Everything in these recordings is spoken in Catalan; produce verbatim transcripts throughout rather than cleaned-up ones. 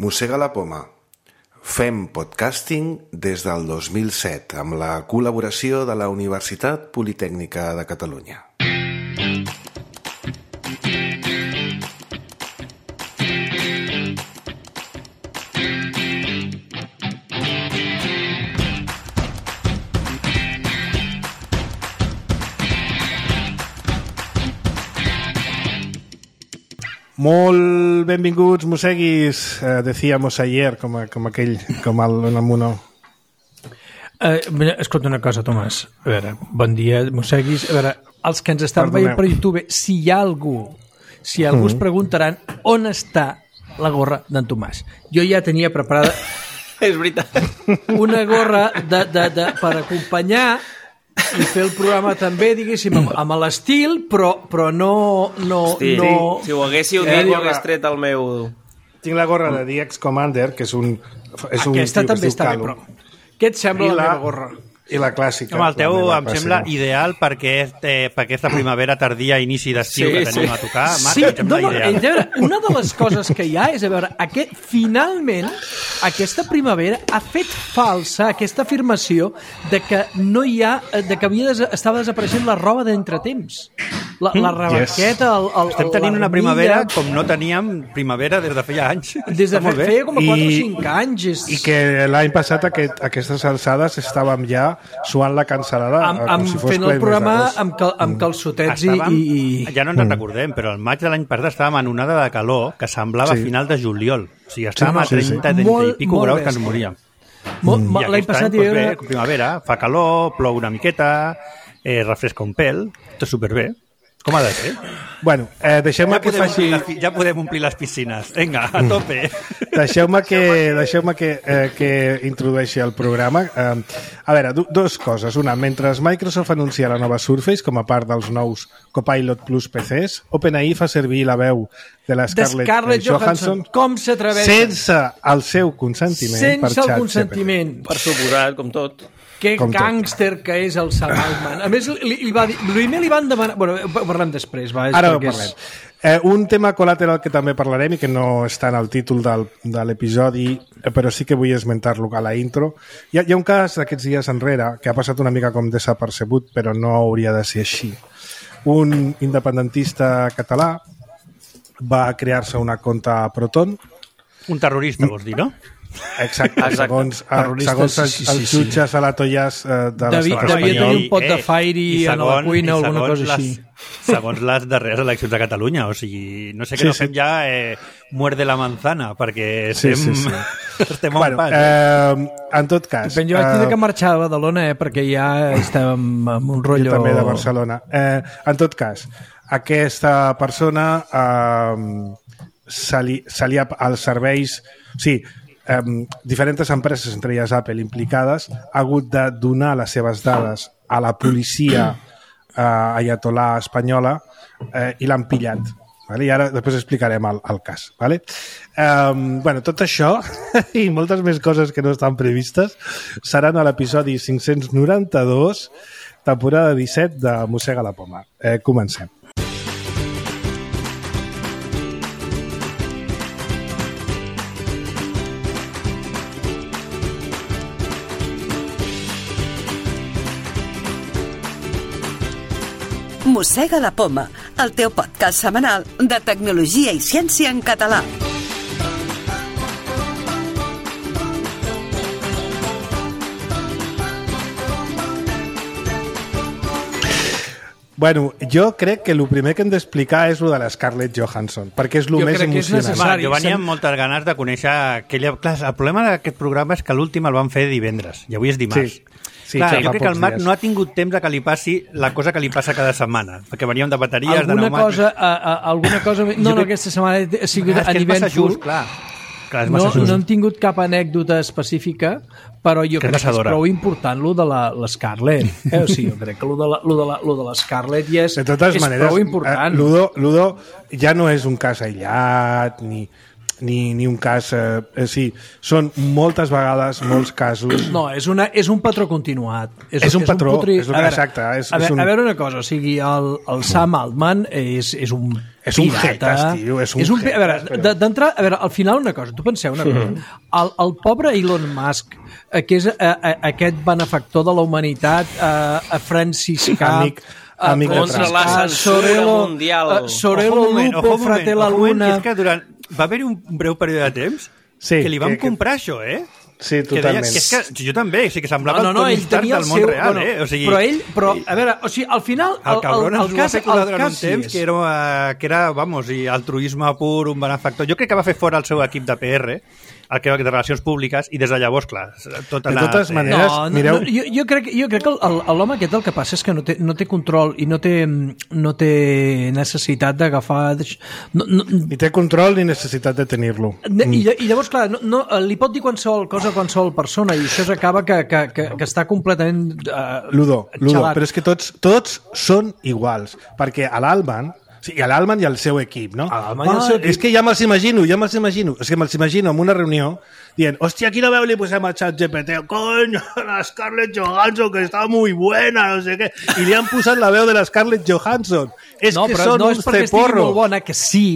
Mossega la poma. Fem podcasting des del dos mil set amb la col·laboració de la Universitat Politècnica de Catalunya. Molt benvinguts, mosseguis, eh, decíamos ayer, com, a, com aquell, com el, el Mono. Eh, escolta una cosa, Tomàs. A veure, bon dia, mosseguis. A veure, els que ens estan Perdoneu. veient per YouTube, si hi ha algú, si algú mm. es preguntaran on està la gorra d'en Tomàs. Jo ja tenia preparada... És veritat. Una gorra de, de, de, per acompanyar i fer el programa també, diguéssim, amb, amb l'estil, però, però no... no, Hosti, no... Si ho haguéssiu Eh, dit, jo gorra. hagués tret el meu... Tinc la gorra de The X Commander, que és un... És un Aquesta tio que també es diu està bé, Calo. però... Què et sembla I la la- meva gorra? I la clàssica. Home, el teu la meva em sembla clàssica. ideal perquè, és, eh, perquè aquesta primavera tardia, inici d'estiu Sí, que tenim sí. a tocar, Marc, Sí, em sembla no, no, ideal. a veure, una de les coses que hi ha és, a veure, aquest, finalment, aquesta primavera ha fet falsa aquesta afirmació de que no hi ha, de que havia des, estava desapareixent la roba d'entretemps. La, la rebarqueta, el, el, Estem tenint una l'armilla, primavera com no teníem primavera des de feia anys. des de Està molt bé. feia com a quatre o I- cinc anys. És... I que l'any passat aquest, aquestes alçades estàvem ja suant la cancel·lada amb, com amb si fos fent ple el mes programa d'agost. amb, cal, amb calçotets i, Estàvem, i, i... ja no ens en recordem, però al maig de l'any passat estàvem en onada de calor que semblava Sí. final de juliol. O sigui, estàvem Sí, a sí, sí. trenta, trenta Molt, i pico molt graus que ens bèstia. moríem. Molt, I l'any aquest passat any, hi doncs havia... bé, primavera, fa calor, plou una miqueta, eh, refresca un pèl, tot superbé. Com ha de ser? Bueno, eh, deixeu-me Ja que podem, faci... omplir les, pi- ja podem omplir les piscines. Vinga, a tope. Deixeu-me que, deixeu que, eh, que introdueixi el programa. Eh, a veure, du dues coses. Una, mentre Microsoft anuncia la nova Surface com a part dels nous Copilot Plus P Cs, OpenAI fa servir la veu de la de Scarlett, Scarlett eh, Johansson. Com s'atreveix? sense el seu consentiment per Sense el xat consentiment. Per suposat, com tot. Que Com tot. gàngster que és el Sam Altman. A més, li, li va dir, primer li van demanar... Bueno, parlem després, va. és Ara ho perquè és- parlem. Eh, un tema col·lateral que també parlarem i que no està en el títol del, de l'episodi, eh, però sí que vull esmentar-lo a la intro. Hi ha, hi ha un cas d'aquests dies enrere que ha passat una mica com desapercebut, però no hauria de ser així. Un independentista català va crear-se una conta a Proton. Un terrorista, vols dir, no? Exacte, Exacte. segons, eh, Terrorista, segons els, sí, sí, els sí, sí. jutges a la Tollàs eh, de Devia, l'estat devia espanyol. tenir un pot de fire i a la cuina o i alguna segons cosa així. Les, segons les darreres eleccions de Catalunya, o sigui, no sé que Sí, no sí. fem ja eh, muerde la manzana, perquè Sí, estem, sí, sí. estem a un Bueno, pas. Eh? eh, en tot cas... Ben, jo vaig tindre eh, que marxar a Badalona, eh, perquè ja estàvem amb un rotllo... Jo també de Barcelona. Eh, en tot cas, aquesta persona eh, se li, se li ha, els serveis... O sigui, eh, diferents empreses, entre elles Apple, implicades, ha hagut de donar les seves dades a la policia eh, ayatolà espanyola eh, i l'han pillat. Vale? I ara després explicarem el, el cas. Vale? Um, bueno, tot això i moltes més coses que no estan previstes seran a l'episodi cinc-cents noranta-dos, temporada disset de Mossega la poma. Eh, comencem. Mossega la poma, el teu podcast setmanal de tecnologia i ciència en català. Bueno, jo crec que el primer que hem d'explicar és lo de la Scarlett Johansson, perquè és el Jo més crec que és emocionant. necessari. Va, jo venia sem- amb moltes ganes de conèixer aquella... Clar, el problema d'aquest programa és que l'últim el van fer divendres, i avui és dimarts. Sí. Sí, Clar, ja jo fa crec que el pocs Marc dies. no ha tingut temps de que li passi la cosa que li passa cada setmana, perquè veníem de bateries, de Alguna pneumàtics... cosa, a, a, alguna cosa... No, no, aquesta setmana ha sigut Clar, és a que és massa nivell just, clar. Clar, és No, massa just. no hem tingut cap anècdota específica, però jo Que és crec que és passadora. prou important lo de la, la Scarlett. Eh? O sigui, jo crec que lo de la, lo de la, lo de la Scarlett ja és, De totes és maneres, prou eh, important. Ludo, Ludo ja no és un cas aïllat, ni... ni, ni un cas... Eh, eh, sí, són moltes vegades, molts casos... No, és, una, és un patró continuat. És, és un patró, un putri... és el que exacte. És, a, és veure, un... a veure una cosa, o sigui, el, el Sam Altman és, és un és un pirata. jetas, tio, és un, és un jetas. A veure, d'entrar, a veure, al final una cosa, tu penseu una cosa, el, el pobre Elon Musk, eh, que és eh, eh, aquest benefactor de la humanitat, eh, franciscà, Amic, amic contra la censura mundial. Uh, Sorelo Ojo un moment, Lupo, ojo un moment, Fratella ojo un moment, Luna... que és que durant... Va haver-hi un breu període de temps Sí, que li vam que- que- comprar això, eh? Sí, Que deia, totalment. que és que jo també, o sigui, que semblava No, no, no, el Tony ell Stark tenia el del món seu... real, bueno, eh? O sigui, però ell, però, a veure, o sigui, al final... el cabron ens ho va cas, fer col·lar el durant un cas sí temps és- que era, eh, que era, vamos, i altruisme pur, un benefactor. Jo crec que va fer fora el seu equip de P R, el que de Relacions Públiques, i des de llavors, clar, tot De anat, totes eh? maneres, No, no, mireu... no, jo, jo crec, jo crec que el- el- l'home aquest el que passa és que no té, no té control i no té, no té necessitat d'agafar... No, no, Ni té control ni necessitat de tenir-lo. Ne- I, lla- I llavors, clar, no, no, li pot dir qualsevol cosa a qualsevol persona i això s'acaba que, que, que, que està completament uh, Ludo, Ludo, xalat. però és que tots, tots són iguals, perquè a l'Alban, sí, i a l'Alban i al seu equip, no? A l'Alban i al seu equip. És que ja me'ls imagino, ja me'ls imagino, és que me'ls imagino en una reunió dient, hòstia, quina veu li posem al xat G P T? Coño, la Scarlett Johansson, que està muy buena, no sé què. I li han posat la veu de la Scarlett Johansson. És no, que però són no és uns perquè estigui molt ceporros. bona, que sí,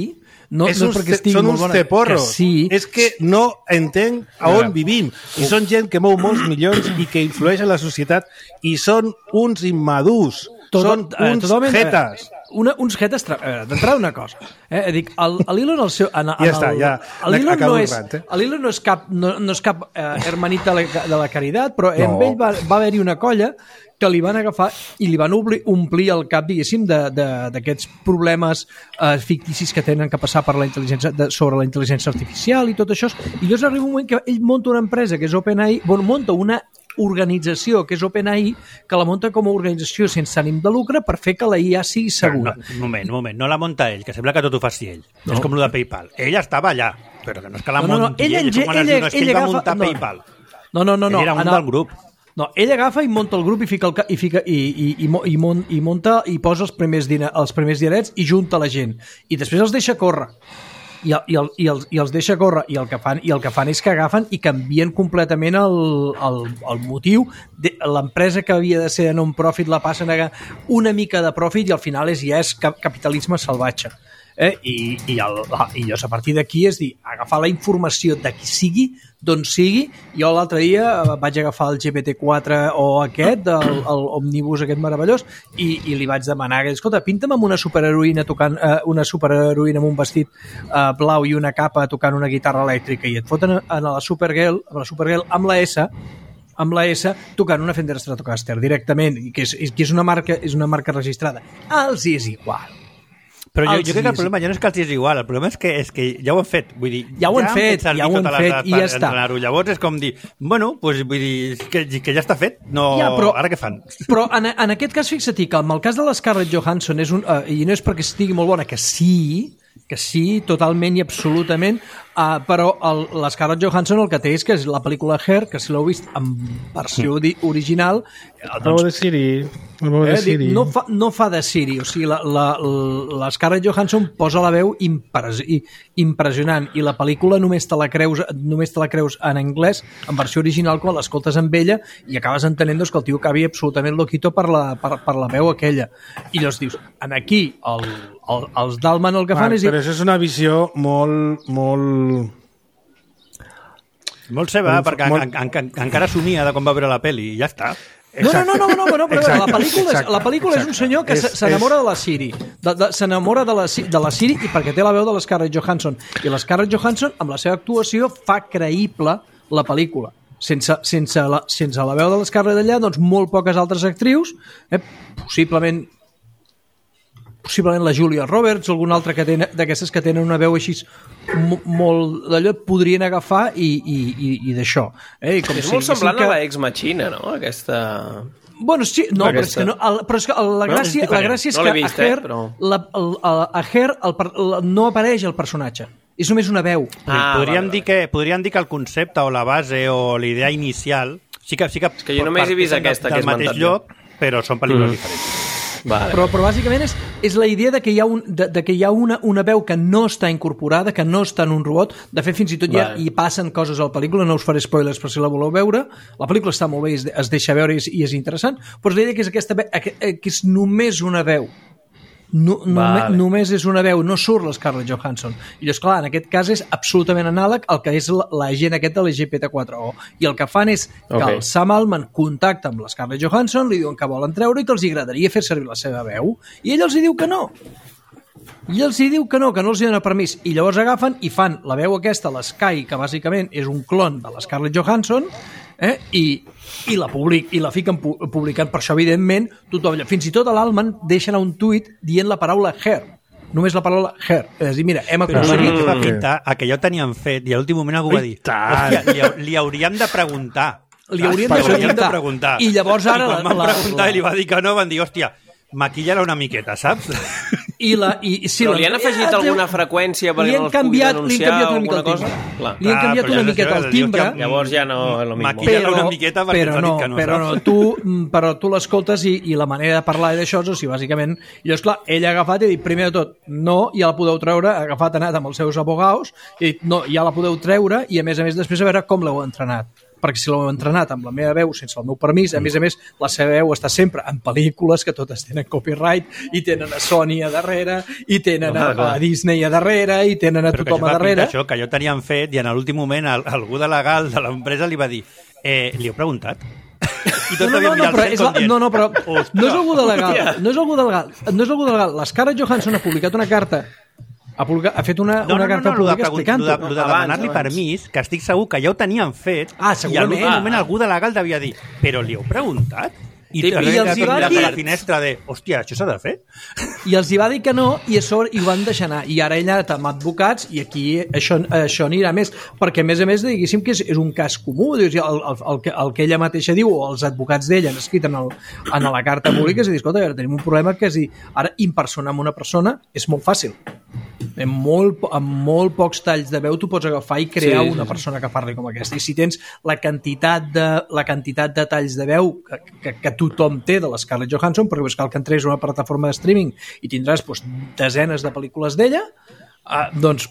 no, és no uns, és perquè estigui són molt uns bona, ceporros. que sí. És que no entenc a on vivim. I són gent que mou molts milions i que influeix en la societat i són uns immadurs. Tot, són eh, uns totalment, jetes. eh, Una, uns jetes... tra- eh, D'entrada una cosa. Eh? Dic, el, el Elon, el seu... En, en Ja està, el, ja. el Elon Acabo no el és, rant, eh? el Elon no és cap, no, no és cap eh, hermanit de la, de la caritat, però No. amb ell va, va haver-hi una colla que li van agafar i li van obli, omplir el cap, diguéssim, d'aquests problemes eh, ficticis que tenen que passar per la intel·ligència, de, sobre la intel·ligència artificial i tot això. I llavors arriba un moment que ell monta una empresa que és OpenAI, bueno, monta una organització que és OpenAI, que la monta com a organització sense ànim de lucre per fer que la I A sigui segura. No, un moment, un moment, no la monta ell, que sembla que tot ho faci ell. No. És com el de PayPal. Ell estava allà, però que no és que la No, no, no, munti ell ell, enge- és com quan es ell- diu, no, és que ell ell va agafa- muntar no. PayPal. No, no, no. no. Ell era un En el- del grup. No, ell agafa i monta el grup i fica el ca- i fica i, i, i, mo- i, mon, i monta i posa els primers diner, els primers dinerets i junta la gent i després els deixa córrer i, i, el, i, els, i els deixa córrer i el que fan i el que fan és que agafen i canvien completament el, el, el motiu de l'empresa que havia de ser de non-profit la passen a una mica de profit i al final és, ja és cap, capitalisme salvatge. Eh? I, i, el, i llavors a partir d'aquí és dir, agafar la informació de qui sigui, d'on sigui. Jo l'altre dia vaig agafar el G P T quatre o aquest, el, el Omnibus aquest meravellós, i, i li vaig demanar, escolta, pinta'm amb una superheroïna tocant, eh, una superheroïna amb un vestit eh, blau i una capa tocant una guitarra elèctrica, i et foten a la Supergirl, amb la Supergirl amb la S, amb la S tocant una Fender Stratocaster directament, i que és, que és, una marca, és una marca registrada. Els és igual. Però jo, Els jo crec que el dies. problema ja no és que els és igual, el problema és que, és que ja ho han fet. Vull dir, Ja ho han fet, servir ja ho han totes les fet, dades i per ja està. entrenar-ho. Llavors és com dir, bueno, pues, vull dir, que, que ja està fet, no... Ja, però- ara què fan? Però en, en aquest cas, fixa't que en el cas de la Scarlett Johansson és un, uh, i no és perquè estigui molt bona, que sí, que sí, totalment i absolutament, uh, però el, la Scarlett Johansson el que té és que és la pel·lícula Her, que si l'heu vist en versió di, original, eh, El doncs, de Siri. El veu de eh, dic, Siri. no, fa, no fa de Siri, o sigui, la, la, la Scarlett Johansson posa la veu impres, i, impressionant, i la pel·lícula només te la creus, només te la creus en anglès, en versió original, quan l'escoltes amb ella, i acabes entenent doncs, que el tio acabi absolutament loquito per la, per, per la veu aquella. I llavors dius, en aquí, el, el, els Dalman el que fan Marc, és dir, però això és una visió molt, molt... Molt seva, Molt- perquè molt- en, en, en, encara somia de quan va veure la pel·li, i ja està. No, no, no, no, no, no, però Exacte, la pel·lícula, és, exacte, la pel·lícula és un exacte. senyor que És- s- s'enamora de la Siri, de, de, s'enamora de la, Si- de la Siri i perquè té la veu de la Scarlett Johansson. I la Scarlett Johansson, amb la seva actuació, fa creïble la pel·lícula. Sense, sense, la, sense la veu de la Scarlett allà, doncs molt poques altres actrius, eh, possiblement possiblement la Julia Roberts o alguna altra que tenen, d'aquestes que tenen una veu així mo- molt d'allò, podrien agafar i, i, i, i d'això. Eh? I com És si molt diguéssim semblant que- a la Ex Machina, no? Aquesta... Bueno, sí, no, però és Aquesta. que, no, el, però és que el, la, No, és gràcia, la diferent. gràcia és No que l'he vist, a Her, eh, però- la, el, a, a Her el, per- la, no apareix el personatge. És només una veu. Ah, podríem, vale, dir que, podríem dir que el concepte o la base o la idea inicial sí que, sí que, que jo només he vist parteixen aquesta del, que he del mateix esmentat jo. lloc, però són pel·lícules mm. diferents. Vale. Però, però bàsicament és, és la idea de que hi ha, un, de, de que hi ha una, una veu que no està incorporada, que no està en un robot. De fet, fins i tot ja Vale. hi passen coses a la pel·lícula, no us faré spoilers per si la voleu veure. La pel·lícula està molt bé, es, es deixa veure i és, i és interessant, però és la idea que és, aquesta, ve- que és només una veu. No, Vale. només, només és una veu, no surt la Scarlett Johansson. I llavors, clar, en aquest cas és absolutament anàleg al que és la, la gent aquest de la G P T quatre O. I el que fan és que Ok. el Sam Altman contacta amb la Scarlett Johansson, li diuen que volen treure i que els agradaria fer servir la seva veu, i ell els hi diu que no. I els hi diu que no, que no els hi dona permís. I llavors agafen i fan la veu aquesta, l'Sky, que bàsicament és un clon de la Scarlett Johansson, eh? I, i la public, i la fiquen pu publicant. Per això, evidentment, tothom, fins i tot a l'Alman deixen un tuit dient la paraula her. Només la paraula her. És a dir, mira, hem Però aconseguit... mm. va pintar a que ja ho tenien fet i a l'últim moment algú va dir hòstia, li, hau- li hauríem de preguntar. Li haurien de Li hauríem preguntar. de preguntar. I llavors ara I quan la- van la- preguntar la- i li va dir que no, van dir, hòstia, maquilla-la una miqueta, saps? I la, i, sí, Però la- li han afegit eh, alguna freqüència perquè li han no els canviat, pugui li han denunciar canviat o una mica alguna el cosa? timbre. Clar. Li han Clar, canviat però una ja miqueta sé, el timbre. hòstia, Llavors ja no és lo mismo. Maquilla-la una miqueta perquè però ens ha no, dit que no, però no, saps? tu, mm, però tu l'escoltes i, i la manera de parlar d'això és, o sigui, bàsicament, i llavors, clar, ell ha agafat i ha dit, primer de tot, no, ja la podeu treure, ha agafat, ha anat amb els seus abogaus, i ha dit, no, ja la podeu treure, i a més a més, després a veure com l'heu entrenat. Perquè si l'heu entrenat amb la meva veu sense el meu permís, a més a més la seva veu està sempre en pel·lícules que totes tenen copyright i tenen a Sony a darrere i tenen a, a Disney a darrere i tenen a Però que tothom això a va pintar darrere. això, que ja ho tenien fet i en l'últim moment al, algú de legal de l'empresa li va dir eh, li heu preguntat? I tot No, no, no, no, però, és la, no, no, però Ostres. no és algú de legal, no és algú de legal, no és algú de legal. La Scarlett Johansson ha publicat una carta, ha, publicat, ha fet una, No, una no, no, carta no, lo de, pública pregun- lo de, explicant-ho. lo de Abans, demanar-li abans. permís, que estic segur que ja ho tenien fet, Ah, i a segurament. l'últim moment algú de legal devia dir, però li heu preguntat? I, Sí, I, i els hi va a dir- la finestra de, hòstia, això s'ha de fer? I els hi va dir que no i a sobre i ho van deixar anar. I ara ella ha amb advocats i aquí això, això anirà més. Perquè, a més a més, diguéssim que és, és un cas comú. Dius, el, el, el, que, el que ella mateixa diu o els advocats d'ella han escrit en, el, en la carta pública és a dir, escolta, a veure, tenim un problema que és dir, ara impersonar amb una persona és molt fàcil. En molt, amb molt pocs talls de veu tu pots agafar i crear Sí, sí, una sí. persona que parli com aquesta. I si tens la quantitat de, la quantitat de talls de veu que, que, que tothom té de la Scarlett Johansson, perquè cal que entres a una plataforma de streaming i tindràs doncs, desenes de pel·lícules d'ella, eh, doncs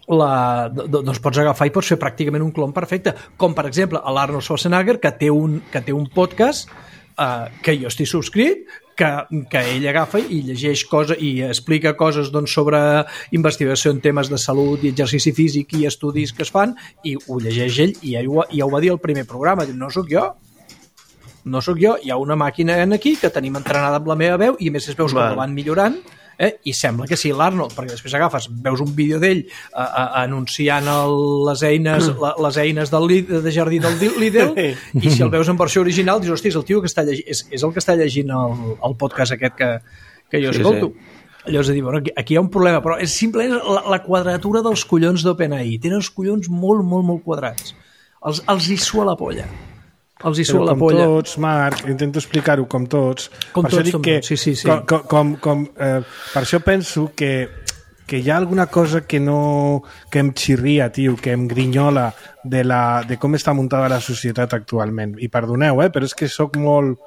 la, doncs pots agafar i pots fer pràcticament un clon perfecte, com per exemple l'Arnold Schwarzenegger, que té un, que té un podcast eh, que jo estic subscrit, que, que ell agafa i llegeix coses i explica coses doncs, sobre investigació en temes de salut i exercici físic i estudis que es fan, i ho llegeix ell i ja ho, ja ho va dir al primer programa, diu, no sóc jo, no sóc jo, hi ha una màquina aquí que tenim entrenada amb la meva veu i a més es veus com Val. la van millorant, eh? I sembla que sí, l'Arnold, perquè després agafes, veus un vídeo d'ell eh, eh, anunciant el, les eines la, les eines del, Lid- de jardí del Di- Lidl i si el veus en versió original dius, hosti, és el tio que està llegint, és, és el que està llegint el, el podcast aquest que, que jo Sí, escolto. Llavors, a dir, bueno, aquí, aquí hi ha un problema, però és simplement la, la quadratura dels collons d'OpenAI. Tenen els collons molt, molt, molt quadrats. Els, els hi sua la polla. Els hi Però sua la com polla. tots, Marc, intento explicar-ho com tots. Com per això tots, dic com que, tots, sí, sí, sí. Com, com, com, com, eh, per això penso que, que hi ha alguna cosa que no que em xirria, tio, que em grinyola de, la, de com està muntada la societat actualment. I perdoneu, eh, però és que sóc molt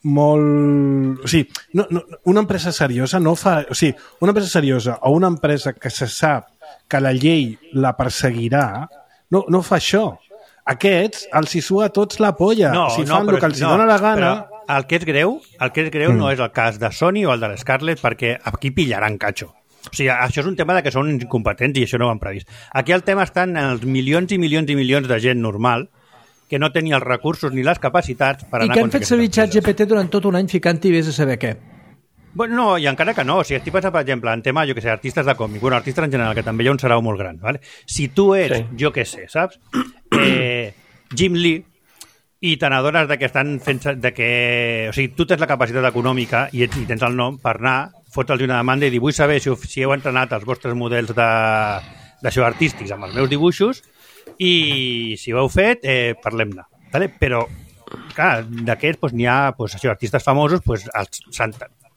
molt... O sigui, no, no, una empresa seriosa no fa... O sigui, una empresa seriosa o una empresa que se sap que la llei la perseguirà no, no fa això. Aquests els hi sua a tots la polla. No, si no, fan però, el que els hi no, dóna la gana... però el que és greu, el que és greu mm. no és el cas de Sony o el de l'Scarlett, perquè aquí pillaran catxo. O sigui, això és un tema de que són incompetents i això no ho han previst. Aquí el tema està en els milions i milions i milions de gent normal que no tenia els recursos ni les capacitats per I anar que han contra fet aquestes servir empreses. ChatGPT durant tot un any ficant-hi vés a saber què. Bueno, no, i encara que no. O sigui, estic pensant, per exemple, en tema, jo que sé, artistes de còmic, bueno, artistes en general, que també hi ha un sarau molt gran, ¿vale? Si tu ets, Sí. jo que sé, saps? Eh, Jim Lee, i te n'adones de que estan fent... De que, o sigui, tu tens la capacitat econòmica i, ets, i tens el nom per anar, fotre'ls una demanda i dir, vull saber si, si heu entrenat els vostres models de, de show artístics amb els meus dibuixos i si ho heu fet, eh, parlem-ne. Vale? Però, clar, d'aquests doncs, n'hi ha doncs, això, artistes famosos, doncs, els,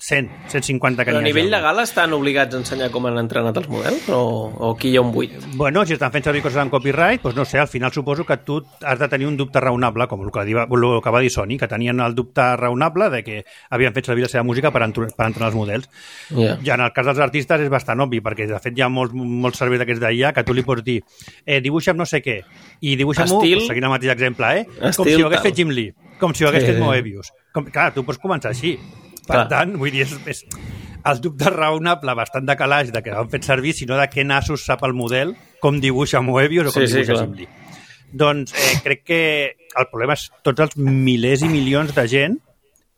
cent, cent cinquanta que Però a n'hi hagi. nivell legal estan obligats a ensenyar com han entrenat els models? O, o aquí hi ha un buit? Bueno, si estan fent servir coses en copyright, doncs no sé, al final suposo que tu has de tenir un dubte raonable, com el que, diva, el que va dir Sony, que tenien el dubte raonable de que havien fet servir la seva música per, entr per entrenar els models. Yeah. Ja en el cas dels artistes és bastant obvi, perquè de fet hi ha molts, molts serveis d'aquests d'I A que tu li pots dir eh, dibuixa'm no sé què, i dibuixa'm-ho, Estil... seguint el mateix exemple, eh? Estil com si ho hagués tal. fet Jim Lee, com si ho hagués Sí, fet sí. Moebius. Com, clar, tu pots començar així. Per Clar. tant, vull dir, és, és el dubte raonable, bastant de calaix de que han fet servir, sinó de què nassos sap el model, com dibuixa Moebius o com Sí, sí, dibuixa clar. Jim Lee. Doncs eh, crec que el problema és tots els milers i milions de gent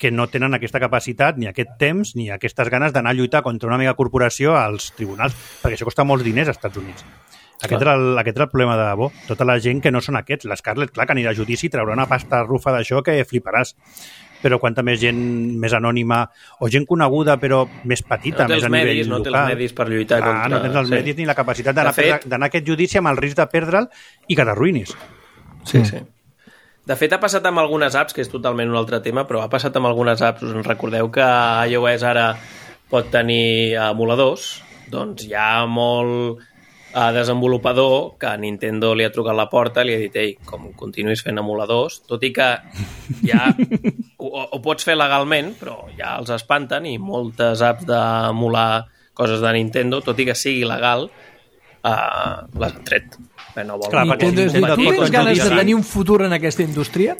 que no tenen aquesta capacitat, ni aquest temps, ni aquestes ganes d'anar a lluitar contra una mega corporació als tribunals, perquè això costa molts diners als Estats Units. Aquest era, el, aquest era el problema de debò. Tota la gent que no són aquests. L'Scarlett, clar, que anirà a judici i traurà una pasta rufa d'això que fliparàs. Però quanta més gent més anònima o gent coneguda però més petita, No té més els a nivell medis, no té els local. medis per lluitar Clar, contra... no tens els sí. medis ni la capacitat d'anar De fet- a, d'anar a aquest judici amb el risc de perdre'l i que t'arruïnis. Sí, sí. De fet, ha passat amb algunes apps, que és totalment un altre tema, però ha passat amb algunes apps. Us en recordeu que iOS ara pot tenir emuladors? Doncs hi ha molt eh, desenvolupador que a Nintendo li ha trucat a la porta i li ha dit ei, com continuïs fent emuladors, tot i que ja ho, ho pots fer legalment, però ja els espanten i moltes apps d'emular coses de Nintendo, tot i que sigui legal, eh, les han tret. Eh, no volen. Clar, perquè Nintendo és dir, Nintendo tu pot tens ganes de judici. tenir un futur en aquesta indústria?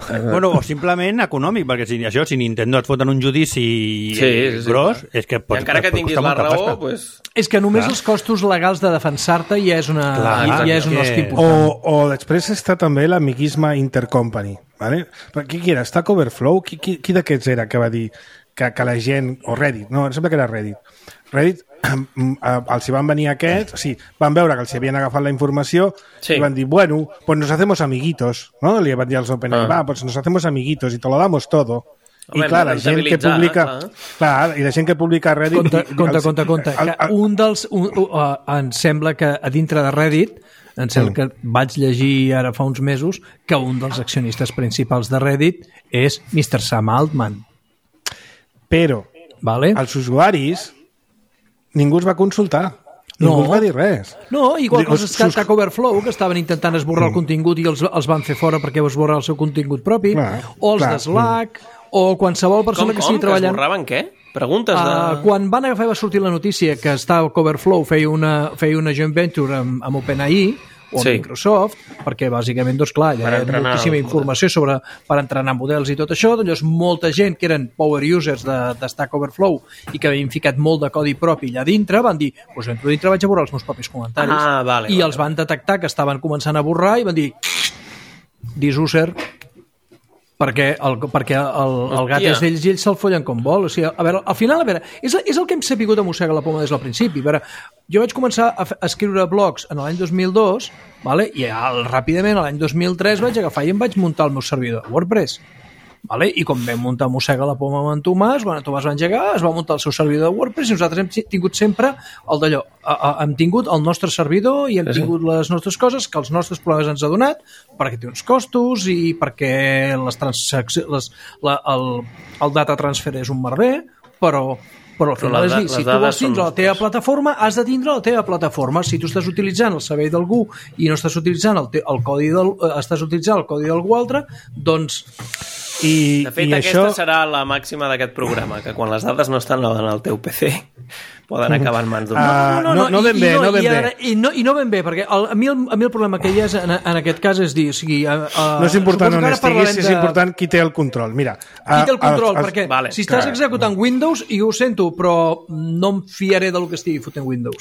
Bueno, o simplement econòmic, perquè si, això, si Nintendo et foten un judici Sí, sí, sí, gros, clar. és que I pot, encara que pot tinguis costar la molta raó, pasta. pues, És que només Clar. els costos legals de defensar-te ja és una, Clar, ja és un que- hosti O, important. o després està també l'amiguisme intercompany. ¿Vale? Però qui, qui era? Stack Overflow? Qui, qui, qui d'aquests era que va dir que, que la gent... O Reddit, no, em sembla que era Reddit. Reddit, els hi van venir aquests, sí, van veure que els hi havien agafat la informació Sí. i van dir, bueno, pues nos hacemos amiguitos, ¿no? Li van dir als OpenAI, Ah. va, pues nos hacemos amiguitos y te lo damos todo. Home, I clar, la hem de gent que rentabilitzar, publica... clar. Clar, i la gent que publica a Reddit... Compte, compte, els- compte, compte. el- Que el- un dels... Un, uh, em sembla que a dintre de Reddit, em sembla Mm. que vaig llegir ara fa uns mesos que un dels accionistes principals de Reddit és mister Sam Altman. Però Vale? els usuaris ningú els va consultar. Ningú No. els va dir res. No, igual que Els els sus- Stack Overflow, que estaven intentant esborrar el contingut i els, els van fer fora perquè esborrar el seu contingut propi, Clar, o els clar. de Slack, o qualsevol com, persona que com? estigui Que treballant... esborraven què? Preguntes de... Uh, quan van agafar i va sortir la notícia que Stack Overflow feia una, feia una joint venture amb, amb OpenAI o amb Sí. Microsoft, perquè bàsicament, doncs clar, hi Per ha entrenar moltíssima els informació sobre, per entrenar models i tot això, doncs molta gent que eren power users de, de Stack Overflow i que havien ficat molt de codi propi allà dintre, van dir, doncs entro dintre vaig a borrar els meus propis comentaris. Ah, vale, I vale. els van detectar que estaven començant a borrar i van dir, disuser, perquè el, perquè el, el gat Hòstia. és d'ells i ells se'l follen com vol. O sigui, a veure, al final, a veure, és, és el que hem sabut a mossegar la poma des del principi. A veure, jo vaig començar a, f- a escriure blogs en l'any dos mil dos, vale? I al, ràpidament, l'any dos mil tres, vaig agafar i em vaig muntar el meu servidor de WordPress. Vale? I com vam muntar Mossega la poma amb en Tomàs, quan en Tomàs va engegar, es va muntar el seu servidor de WordPress i nosaltres hem tingut sempre el d'allò. A- a- Hem tingut el nostre servidor i hem tingut les nostres coses que els nostres problemes ens ha donat perquè té uns costos i perquè les transaccions, les, la, el, el data transfer és un merder, però però al Però final les és da- dir, si les tu dades vols tindre són la teva nostres. plataforma, has de tindre la teva plataforma. Si tu estàs utilitzant el servei d'algú i no estàs utilitzant el, te, el codi del, eh, estàs utilitzant el codi d'algú altre, doncs I, De fet, i aquesta això... serà la màxima d'aquest programa, que quan les dades no estan en el teu P C poden acabar en mans d'un... Ah, no, no i- ben i bé, no ben i bé. ara- I no, i no ben bé, perquè el, a, mi el, a mi el problema que hi ha és, en, en aquest cas és dir, o sigui... A, a, No és important suposo on que ara estiguis, parlarem és de- important qui té el control. Mira, Qui té el a- control? els- els- perquè vale, si estàs clar. executant Windows, i ho sento, però no em fiaré del que estigui fotent Windows.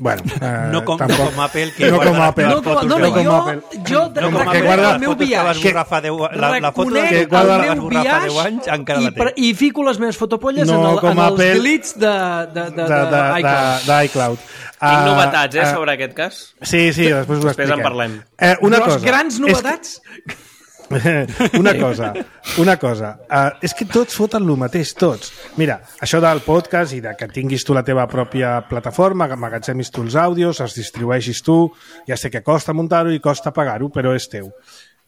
Bueno, eh, No com, no tampoc. com Apple, que No guarda com les Apple. teves No, com, fotos no, de no, com jo, Apple. jo No com reconec Apple, guarda el les meu fotos que vas biaix. borrar fa deu, la, la foto Reconec que, que guarda- el que vas meu borrar fa biaix deu anys encara i, la per, té. i fico les meves fotopolles No en, el, com en els Apple. glitch de, de, de, de, de, d'iCloud. de, d'iCloud. Tinc Ah, novetats, eh, ah, sobre aquest cas. Sí, sí, després ho Després en expliquem. parlem. Eh, una Gros- cosa. grans és novetats? Que, una cosa, una cosa. Uh, és que tots foten el mateix, tots. Mira, això del podcast i de que tinguis tu la teva pròpia plataforma, que emmagatzemis tu els àudios, els distribueixis tu, ja sé que costa muntar-ho i costa pagar-ho, però és teu.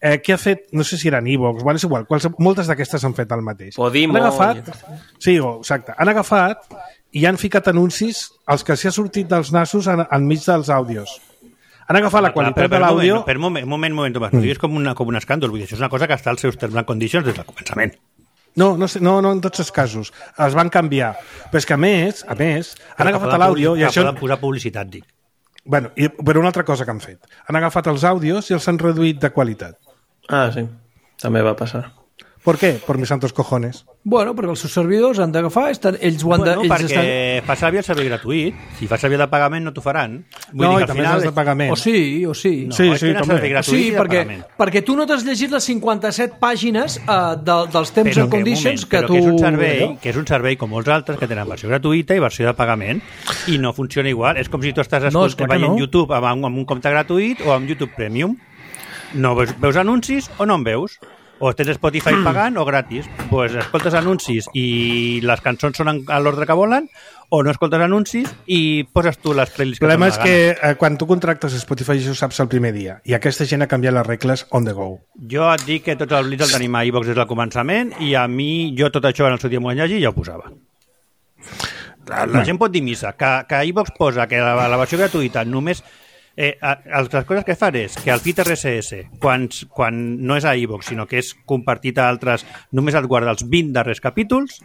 eh, què ha fet? No sé si eren iVoox, bueno, és igual, quals, moltes d'aquestes han fet el mateix. Podimo. Han agafat, sí, oh, exacte, han agafat i han ficat anuncis als que s'hi ha sortit dels nassos en, enmig dels àudios. Han agafat la qualitat de l'àudio... Per un moment, moment, moment, Tomàs, mm. és com, una, com un escàndol, vull dir, això és una cosa que està als seus terms and conditions des del començament. No, no, no, no en tots els casos. Els van canviar. Però és que a més, a més, han agafat l'àudio... i això... poden posar publicitat, dic. Bueno, i, però una altra cosa que han fet. Han agafat els àudios i els han reduït de qualitat. Ah, sí. També va passar. ¿Por qué? Por mis santos cojones. Bueno, perquè els seus servidors han d'agafar, estan, ells ho han bueno, de... Ells perquè estan... fa servir el servei gratuït. Si fa servir de pagament no t'ho faran. Vull no, dir i també final... és de pagament. O sí, o sí. No, sí, sí, també. Sí, perquè, perquè tu no t'has llegit les cinquanta-set pàgines uh, de, dels Terms and Conditions que, moment, tu... Que és, un servei, que és un servei com molts altres que tenen versió gratuïta i versió de pagament i no funciona igual. És com si tu estàs no, veient no. YouTube amb, amb un compte gratuït o amb YouTube Premium. No veus, veus anuncis o no en veus? O tens Spotify pagant o gratis. Pues escoltes anuncis i les cançons són a l'ordre que volen, o no escoltes anuncis i poses tu les playlists que el problema és gana. que eh, quan tu contractes Spotify això ho saps el primer dia, i aquesta gent ha canviat les regles on the go. Jo et dic que tots els blitz el tenim a iVox des del començament i a mi, jo tot això en el seu dia m'ho vaig llegir i ja ho posava. La, la gent pot dir missa, que, que iVox posa que la, la versió gratuïta només... Eh, les coses que fan és que el feed R S S, quan, quan no és a iVox, sinó que és compartit a altres, només et guarda els vint darrers capítols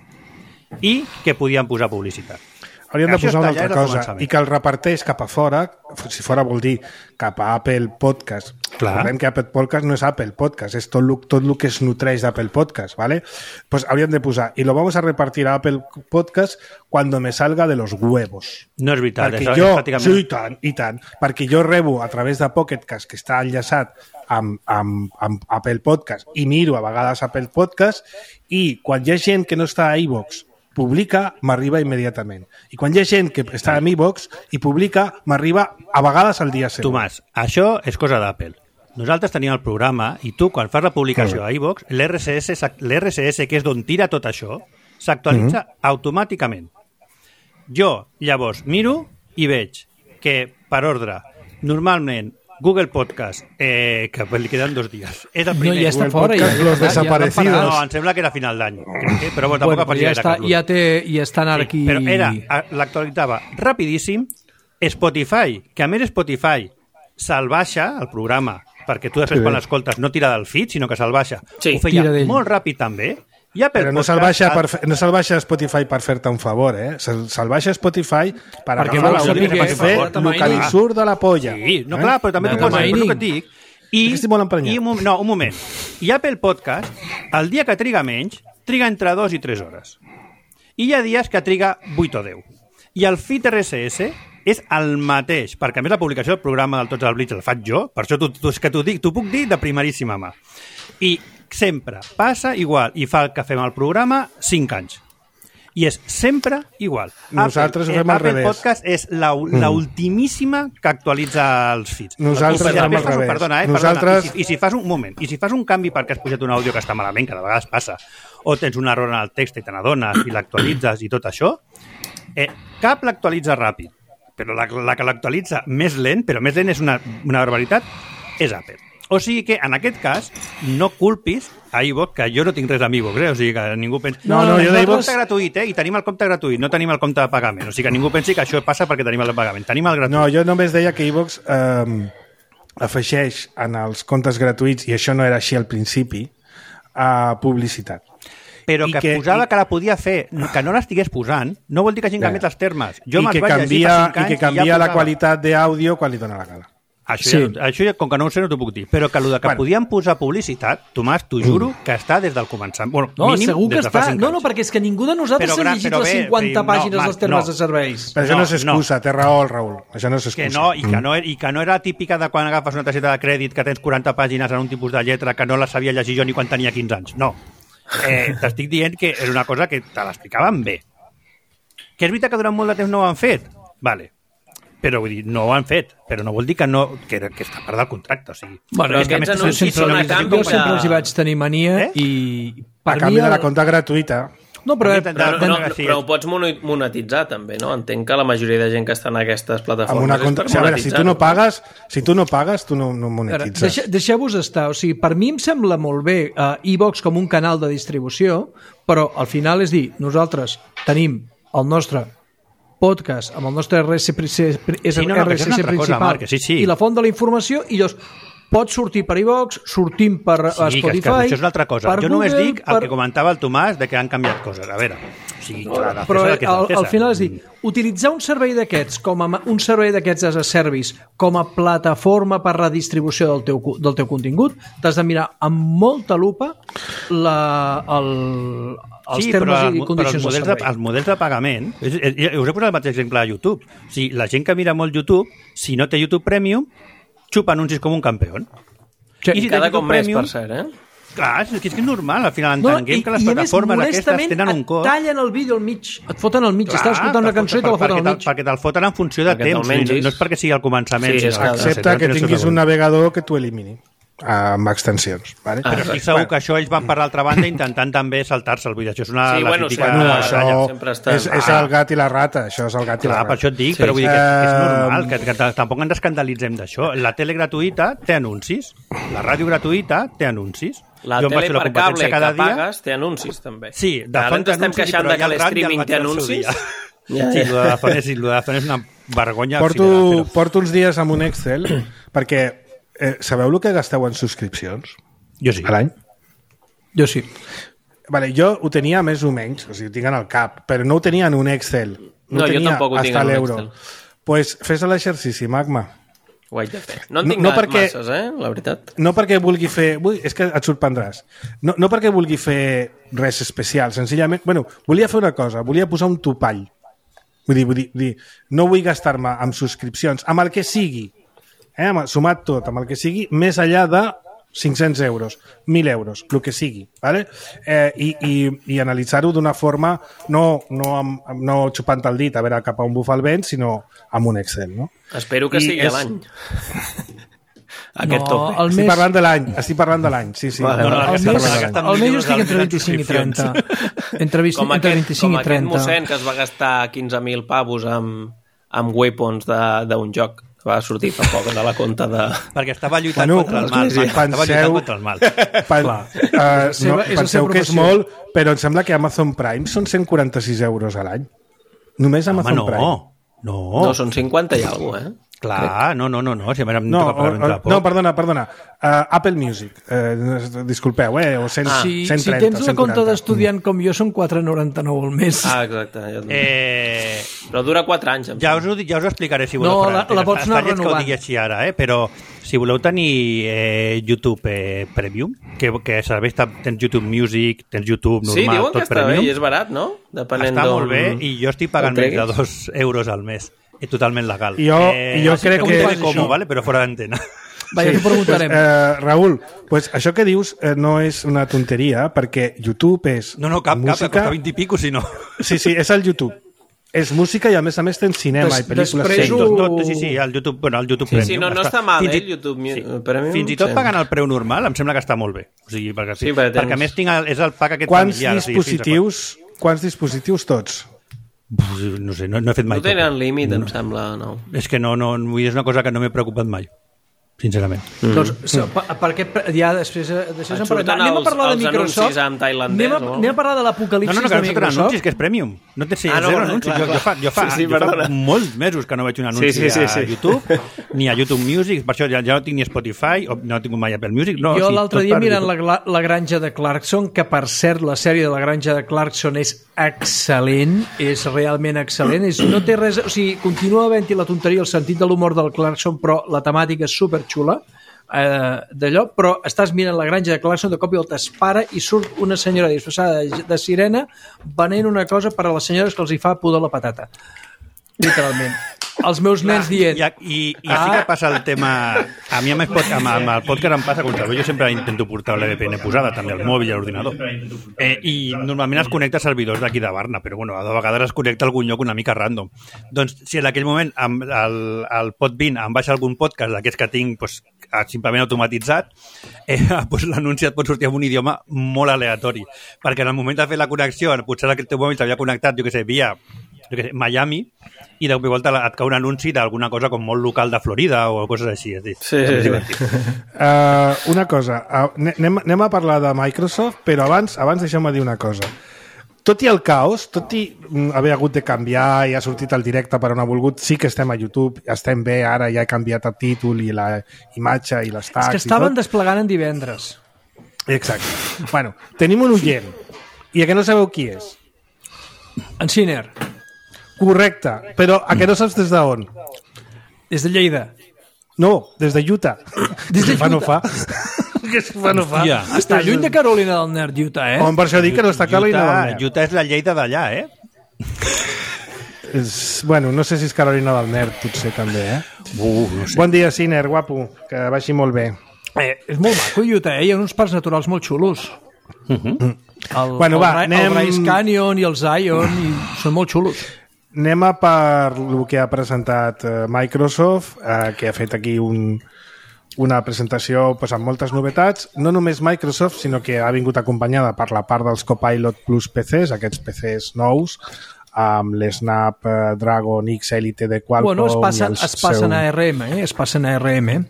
i que podien posar publicitat. Haurien de posar una altra cosa, i que el reparteix cap a fora, si fora vol dir cap a Apple Podcast. Recordem que Apple Podcast no és Apple Podcast, és tot el, tot el que es nutreix d'Apple Podcast, ¿vale? Pues haurien de posar, y lo vamos a repartir a Apple Podcast cuando me salga de los huevos. No és veritat, perquè és, jo, és pràcticament... Sí, i tant, i tant, perquè jo rebo a través de Pocket Cast, que està enllaçat amb, amb, amb Apple Podcast, i miro a vegades Apple Podcast, i quan hi ha gent que no està a iVox publica, m'arriba immediatament. I quan hi ha gent que està a iVox i publica, m'arriba a vegades al dia següent. Tomàs, això és cosa d'Apple. Nosaltres tenim el programa i tu, quan fas la publicació a iVox, l'R S S, l'R S S, que és d'on tira tot això, s'actualitza mm-hmm. automàticament. Jo, llavors, miro i veig que, per ordre, normalment Google Podcast, eh, que li queden dos dies. És el primer. No, ja està Google fora. Podcast, Ja, los ja, desaparecidos. ja no, em sembla que era final d'any. Eh? Però bueno, tampoc bueno, apareixia ja, està, ja, té, ja estan ara sí, aquí... Però era, l'actualitzava rapidíssim. Spotify, que a més Spotify se'l baixa, el programa, perquè tu després sí. quan l'escoltes no tira del feed, sinó que se'l baixa. Sí. Ho feia molt ràpid també. Ja però no se'l baixa, per, no se'l baixa Spotify per fer-te un favor, eh? Se'l, se'l baixa Spotify per perquè agafar l'àudio que per fer el que li surt de la polla. Sí, no, clar, però també de tu poses el que et dic. I, estic molt emprenyat. i un, no, un moment. I Apple Podcast, el dia que triga menys, triga entre dos i tres hores. I hi ha dies que triga vuit o deu. I el feed R S S és el mateix, perquè a més la publicació del programa del Tots al Blitz el faig jo, per això tu, tu, que t'ho dic, t'ho puc dir de primeríssima mà. I sempre passa igual, i fa el que fem al programa cinc anys. I és sempre igual. Nosaltres Apple, ho fem al Apple revés. Podcast és la, la ultimíssima que actualitza els feeds. Nosaltres I fem al revés. Perdona, eh, Nosaltres... perdona. I, si, I si fas un moment, i si fas un canvi perquè has pujat un àudio que està malament, que de vegades passa, o tens un error en el text i te n'adones i l'actualitzes i tot això, eh, cap l'actualitza ràpid, però la, la que l'actualitza més lent, però més lent és una, una barbaritat, és Apple. O sigui que, en aquest cas, no culpis a iVox, que jo no tinc res amb iVox, eh? O sigui que ningú pensi... No, no, jo tenim el d'iVox... compte gratuït, eh? I tenim el compte gratuït, no tenim el compte de pagament. O sigui que ningú pensi que això passa perquè tenim el de pagament. Tenim el gratuït. No, jo només deia que iVox eh, afegeix en els comptes gratuïts, i això no era així al principi, a publicitat. Però que, que posava i... que la podia fer, que no l'estigués posant, no vol dir que hagin canviat els termes. Jo I, que canvia, I que canvia ja la qualitat d'àudio quan li dona la gana. Això, sí. ja, això ja, com que no ho sé, no t'ho puc dir. Però que el que bueno. podien posar publicitat, Tomàs, t'ho juro, mm. que està des del començament. Bueno, no, mínim segur que des de està. fa cinc No, no, anys. perquè és que ningú de nosaltres s'ha llegit les cinquanta bé, pàgines no, dels termes no. de serveis. Però això no, no és excusa, no. té raó el Raül. Això no és excusa. Que no, i, que no, I que no era típica de quan agafes una targeta de crèdit que tens quaranta pàgines en un tipus de lletra que no la sabia llegir jo ni quan tenia quinze anys. No. Eh, T'estic dient que és una cosa que te l'explicaven bé. Que és veritat que durant molt de temps no ho han fet? Vale. Però vull dir, no ho han fet, però no vol dir que no que, que està part del contracte, o sigui. Bueno, és que aquests anuncis són a canvi. Jo sempre els hi vaig tenir mania eh? i... A canvi de la compta gratuïta. No, però, però, no, no, però ho pots monetitzar també, no? Entenc que la majoria de gent que està en aquestes plataformes una contra... és o per sigui, a veure, si tu no pagues, si tu no pagues, tu no, no monetitzes. Deixe, deixeu-vos estar, o sigui, per mi em sembla molt bé uh, iVox com un canal de distribució, però al final és dir, nosaltres tenim el nostre podcast amb el nostre R S S, és sí, no, no, R S S és principal cosa, Marc, sí, sí. i la font de la informació, i llavors pot sortir per iVox, sortim per sí, Spotify... Que, que això és una altra cosa. Jo només Google, dic el per... que comentava el Tomàs de que han canviat coses. A veure, o sigui, clar, però el, al, al final és dir, utilitzar un servei d'aquests com a un servei d'aquests as a service com a plataforma per redistribució del teu, del teu contingut, t'has de mirar amb molta lupa la, el, els sí, termes però, i condicions però els del models, servei. de, els models de pagament, és, és, us he posat el mateix exemple a YouTube. O sigui, la gent que mira molt YouTube, si no té YouTube Premium, xupa anuncis com un campió. Sí, I si cada cop més, per cert, eh? Clar, és que és normal, al final entenguem no, que les plataformes aquestes tenen un cost. Et tallen el vídeo al mig, et foten al mig, clar, estàs escoltant una cançó i te la foten al mig. Perquè te'l foten en funció de perquè temps, no, no és perquè sigui al començament. Sí, excepte que tinguis un navegador que t'ho elimini amb extensions. Vale? Però estic segur que això ells van per l'altra banda intentant també saltar-se el vídeo. Això és una sí, bueno, crítica. No, això està... és, és el gat i la rata. Això és el gat i la rata. Per això et dic, sí, però vull dir que és, és normal, que, que tampoc ens escandalitzem d'això. La tele gratuïta té anuncis, la ràdio gratuïta té anuncis. La jo tele la per cable cada que dia... pagues té anuncis, també. Sí, de ara ens estem queixant de que l'streaming té anuncis. Ja, sí, lo de la font és, lo de la font és una vergonya. Porto, final, però... porto uns dies amb un Excel perquè eh, sabeu el que gasteu en subscripcions? Jo sí. A l'any? Jo sí. Vale, jo ho tenia més o menys, o sigui, ho tinc en el cap, però no ho tenia en un Excel. No, no ho jo tampoc ho tinc en un l'euro. Excel. Pues fes l'exercici, Magma. Ho haig de fer. No en tinc no, no no perquè, masses, eh, la veritat. No perquè vulgui fer... Ui, és que et sorprendràs. No, no perquè vulgui fer res especial, senzillament... Bueno, volia fer una cosa, volia posar un topall. Vull dir, vull dir, vull dir no vull gastar-me amb subscripcions, amb el que sigui, eh, amb, sumat tot, amb el que sigui, més enllà de cinc-cents euros, mil euros, el que sigui, ¿vale? eh, i, i, i analitzar-ho d'una forma no, no, amb, no xupant el dit a veure cap a on bufa el vent, sinó amb un Excel, no? Espero que I sigui és... l'any. Aquest no, tope. El estic mes... parlant de l'any, estic parlant de l'any, sí, sí. Vale, no, no, el no, mes, el mes jo estic entre vint-i-cinc i trenta. Entre, vint, com entre aquest, vint-i-cinc com i trenta. Com aquest mossèn que es va gastar quinze mil pavos amb, amb weapons d'un joc. Va sortir fa poc de la compta de... Perquè estava lluitant bueno, contra el mal. sí, Estava penseu, lluitant contra el mal. Pen, uh, no, penseu que és molt, però em sembla que Amazon Prime són cent quaranta-sis euros a l'any. Només Amazon Home, no, Prime. No, no, són cinquanta i alguna cosa, eh? Clar, no, no, no, no, si a mi em no, toca pagar o, no, perdona, perdona. Uh, Apple Music, uh, disculpeu, eh? O cent, ah, si, cent trenta, si tens la cent quaranta. compte d'estudiant com jo, són quatre coma noranta-nou al mes. Ah, exacte. Ja eh... Però dura quatre anys. Ja us, ho, ja us ho explicaré si voleu. No, la, la pots anar renovant. Que ho digui així ara, eh? Però si voleu tenir eh, YouTube eh, Premium, que, que serveix, tens YouTube Music, tens YouTube normal, sí, diuen tot que està Premium. Bé i és barat, no? Depenent està molt bé i jo estic pagant menys de dos euros al mes. És totalment legal. Jo, eh, jo crec que... Com, vale? Però fora d'antena. Vaja, sí, preguntarem. Pues, eh, Raül, pues això que dius eh, no és una tonteria, perquè YouTube és no, no, cap, música... cap, costa vint i pico, si no. Sí, sí, és el YouTube. És música i a més a més tens cinema Des, i pel·lícules. Després ho... tot, tot, sí, sí, el YouTube, bueno, el YouTube sí, Premium. Sí, no, no està, està mal, eh, el YouTube sí. Premium. Fins i tot sí. pagant el preu normal, em sembla que està molt bé. O sigui, perquè, sí, perquè, perquè a més tinc el, és el pack aquest quants familiar. Dispositius, o sigui, quants dispositius tots? No sé, no, no he fet mai. No tenen tot. límit, no. em sembla, no. És que no, no, és una cosa que no m'he preocupat mai, sincerament. Mm. Doncs, per, perquè ja després, després en parlem. Anem a parlar de Microsoft. Anem a, anem a parlar de l'apocalipsis no, no, no, de Microsoft. No, anuncis, que és Premium. No té sí, ah, no, zero no, anuncis. clar, jo, jo, fa, jo, fa, sí, sí, jo fa molts mesos que no veig un anunci sí, sí, sí, sí. a YouTube, ni a YouTube Music, per això ja, ja no tinc ni Spotify, o no tinc mai Apple Music. No, jo sí, l'altre dia mirant la, la granja de Clarkson, que per cert la sèrie de la granja de Clarkson és excel·lent, és realment excel·lent, és, no té res, o sigui, continua havent-hi la tonteria, el sentit de l'humor del Clarkson, però la temàtica és superxula, eh, d'allò, però estàs mirant la granja de Clarkson, de cop i volta es para i surt una senyora disfressada de, de sirena venent una cosa per a les senyores que els hi fa pudor la patata. Literalment. els meus nens dient... I, i, i ah. sí que passa el tema... A mi amb el, pod, amb, amb el podcast em passa, com sabeu, jo sempre intento portar l'E V P N posada, també al mòbil i a l'ordinador. Eh, I normalment es connecta a servidors d'aquí de Barna, però bueno, de vegades es connecta a algun lloc una mica random. Doncs si en aquell moment amb el, el Podbean em baixa algun podcast d'aquests que tinc pues, simplement automatitzat, eh, pues l'anunci et pot sortir en un idioma molt aleatori, perquè en el moment de fer la connexió, potser el teu mòbil s'havia connectat, jo què sé, via jo què sé, Miami, i de cop i volta et cau un anunci d'alguna cosa com molt local de Florida o coses així. És dir, sí, és sí. Uh, una cosa, uh, anem, anem a parlar de Microsoft, però abans, abans deixeu-me dir una cosa. Tot i el caos, tot i haver hagut de canviar i ha sortit el directe per on ha volgut, sí que estem a YouTube, estem bé, ara ja he canviat el títol i la imatge i les tags. És que estaven desplegant en divendres. Exacte. Bueno, tenim un oient, i a que no sabeu qui és? En Siner. Correcte, però a que no saps des d'on? Des de Lleida. No, des de Utah. Des de Utah. No fa. Que si fa no fa. Ja. Està lluny de Carolina del Nord, Utah, eh? On per això dic que no està Carolina del Nord. Utah és la Lleida d'allà, eh? És, bueno, no sé si és Carolina del Nord, potser també, eh? Uh, no sé. Bon dia, Siner, guapo, que vagi molt bé. Eh, és molt maco, Utah, eh? Hi ha uns parcs naturals molt xulos. Uh-huh. El, bueno, el, va, el, anem... el Bryce Canyon i el Zion i són molt xulos. Anem a per el que ha presentat uh, Microsoft, uh, que ha fet aquí un, una presentació pues, amb moltes novetats. No només Microsoft, sinó que ha vingut acompanyada per la part dels Copilot Plus P Cs, aquests P Cs nous, amb l'Snapdragon X Elite de Qualcomm. Bueno, es passen, es es passen seu... a A R M, eh? Es passen a A R M.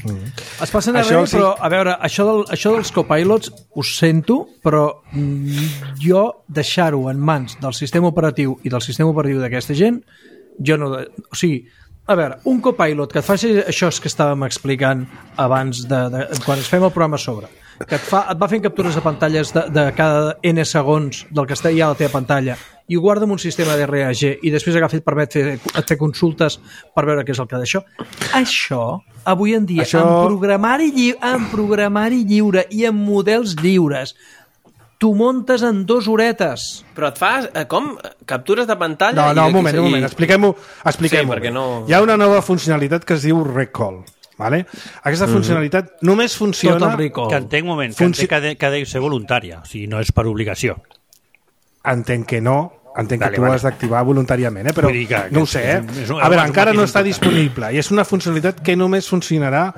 Mm. Es passen a això, R M, sí. però a veure, això, del, això dels copilots us sento, però mm, jo deixar-ho en mans del sistema operatiu i del sistema operatiu d'aquesta gent, jo no... O sigui, a veure, un copilot que et faci això que estàvem explicant abans de, de, quan es fem el programa a sobre, que et, fa, et va fent captures de pantalles de, de cada N segons del que està ja a la teva pantalla i ho guarda en un sistema d'R A G i després agafa i et permet fer, et fer consultes per veure què és el que d'això. Això, avui en dia, això... en programari, lli... en programari lliure i en models lliures, tu montes en dues horetes. Però et fas, com? Captures de pantalla? No, no, i un moment, un moment, expliquem-ho. Expliquem sí, no... Hi ha una nova funcionalitat que es diu Recall. Vale? Aquesta mm-hmm. funcionalitat només funciona... Tot el recall. Que entenc un moment, que Funci... entenc que, de, que ha de ser voluntària, o sigui, no és per obligació. Entenc que no, entenc vale, que tu vale. has d'activar voluntàriament, eh? Però que, que, no ho sé, eh? És, és, és, a veure, encara no està important. disponible i és una funcionalitat que només funcionarà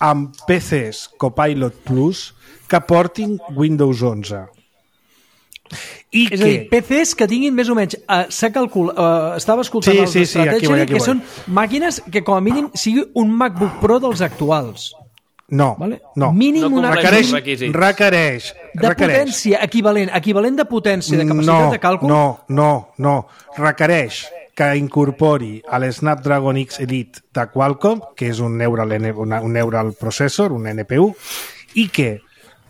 amb P Cs Copilot Plus que portin Windows onze. I és que... a dir, P Cs que tinguin més o menys uh, s'ha calculat, uh, estava escoltant sí, els sí, sí, aquí voy, aquí que voy. són màquines que com a mínim sigui un MacBook Pro dels actuals. No, vale? no. Mínim no una requereix, requisits. requereix, de requereix. potència equivalent, equivalent de potència, de capacitat no, de càlcul. No, no, no. Requereix que incorpori a l'Snapdragon X Elite de Qualcomm, que és un neural, un neural processor, un N P U, i que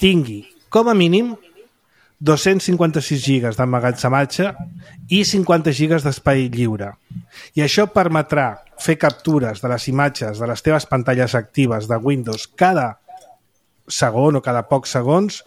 tingui, com a mínim, dos-cents cinquanta-sis gigas d'emmagatzematge i cinquanta gigas d'espai lliure. I això permetrà fer captures de les imatges de les teves pantalles actives de Windows cada segon o cada pocs segons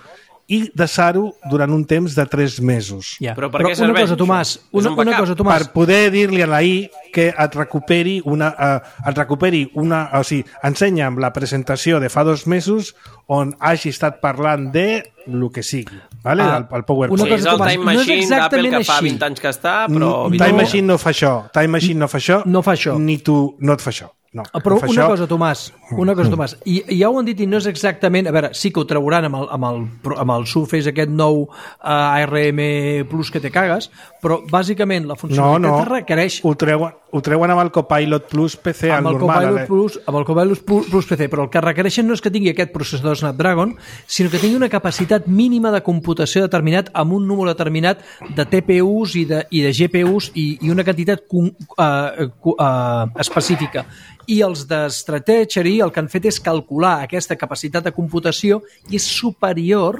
i deixar-ho durant un temps de tres mesos. Ja. Però per Però què una serveix cosa, Tomàs, això? una, És un una backup. cosa, Tomàs. Per poder dir-li a la I que et recuperi una... Uh, et recuperi una... O sigui, ensenya'm la presentació de fa dos mesos on hagi estat parlant de el que sigui, vale? Ah, el, el PowerPoint. una Sí, és cosa, el Tomàs, Time no és Machine exactament d'Apple que fa així. vint anys que està, però... Mm, Time Machine no fa això. Time Machine no fa això. No fa això. Ni tu no et fa això. No, Però no fa una això. cosa, Tomàs, una cosa, Tomàs, i, i ja ho han dit i no és exactament... A veure, sí que ho trauran amb el, amb el, amb el Surface aquest nou uh, A R M Plus que te cagues, però bàsicament la No, funcionalitat no. requereix... Ho treuen, ho treuen amb el Copilot Plus P C, amb el el normal. Copilot Ale. Plus, amb el Copilot Plus, Plus P C, però el que requereixen no és que tingui aquest processador Snapdragon, sinó que tingui una capacitat mínima de computació determinat amb un número determinat de T P Us i de, i de G P Us i, i una quantitat uh, uh, uh, específica. I els de Stratechery el que han fet és calcular aquesta capacitat de computació i és superior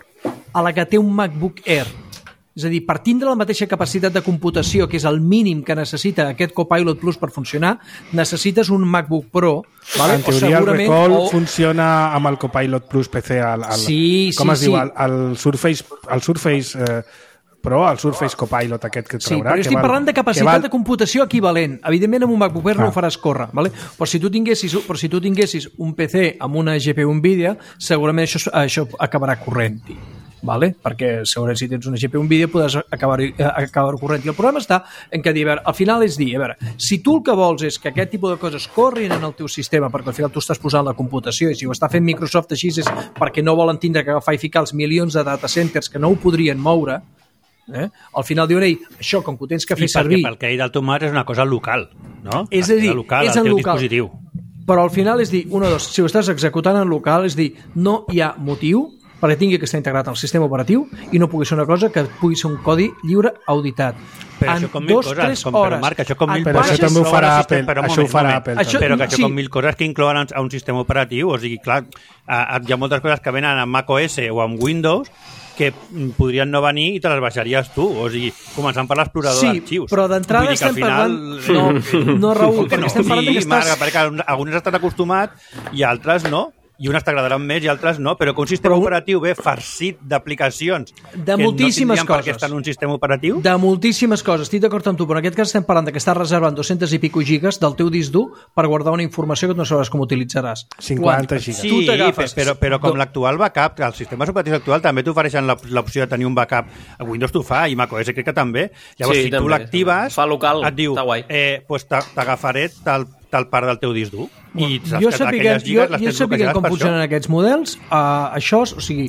a la que té un MacBook Air. És a dir, per tindre la mateixa capacitat de computació, que és el mínim que necessita aquest Copilot Plus per funcionar, necessites un MacBook Pro. Vale? En teoria, o el Recall o... funciona amb el Copilot Plus P C. Al, al, Sí, com sí, es diu? sí. El, el Surface, el Surface eh, però el Surface Copilot aquest que Sí, traurà... però jo estic val, parlant de capacitat val... de computació equivalent. Evidentment, amb un MacBook Air Ah. no ho faràs córrer, ¿vale? però, si tu tinguessis, però si tu tinguessis un P C amb una G P U NVIDIA, segurament això, això acabarà corrent-hi. Vale? Perquè segurament si tens una G P U NVIDIA podràs acabar, acabar corrent. I el problema està en que, a veure, al final és dir, a veure, si tu el que vols és que aquest tipus de coses corrin en el teu sistema, perquè al final tu estàs posant la computació, i si ho està fent Microsoft així és perquè no volen tindre que agafar i ficar els milions de data centers que no ho podrien moure, eh? Al final diuen, ei, això, com que ho tens que fer I servir... perquè pel que he dit el Tomàs és una cosa local, no? És a dir, local, és en el teu local. dispositiu. Però al final és dir, un o dos, si ho estàs executant en local, és dir, no hi ha motiu perquè tingui que estar integrat al sistema operatiu i no pugui ser una cosa que pugui ser un codi lliure auditat. Però en això com mil dos, coses, tres com, hores. però Marc, això com mil Però coses això també ho inclouen farà el Apple, sistema- però un això ho moment, farà un moment. Apple. Això- Però que això sí. com mil coses que inclouen a un sistema operatiu, o sigui, clar, a- a- hi ha moltes coses que venen amb macOS o amb Windows que podrien no venir i te les baixaries tu, o sigui, començant per l'explorador Sí, d'arxius. però d'entrada Vull dir que al estem final... parlant... No, no Raül, Com que perquè no? estem parlant sí, que Marc, estàs... perquè alguns estan acostumats i altres no, i unes t'agradaran més i altres no, però que un sistema Però un- operatiu ve farcit d'aplicacions De que moltíssimes no tindrien per què coses. estar en un sistema operatiu. De moltíssimes coses, estic d'acord amb tu, però en aquest cas estem parlant de que estàs reservant dos-cents i pico gigas del teu disc dur per guardar una informació que no sabràs com utilitzaràs. cinquanta Quan gigas. Sí, tu t'agafes... però, però com Do- l'actual backup, que els sistemes operatius actuals també t'ofereixen la- l'opció de tenir un backup. A Windows t'ho fa i macOS crec que també. Llavors, Sí, si tu també. l'actives, Fa local, et diu, està guai. eh, pues t'a- t'agafaré tal, tal part del teu disc dur. I saps jo que sapiguem, aquelles jo, lligues les jo tens sapiguem bloquejades com per això. funcionen aquests models, uh, això, o sigui...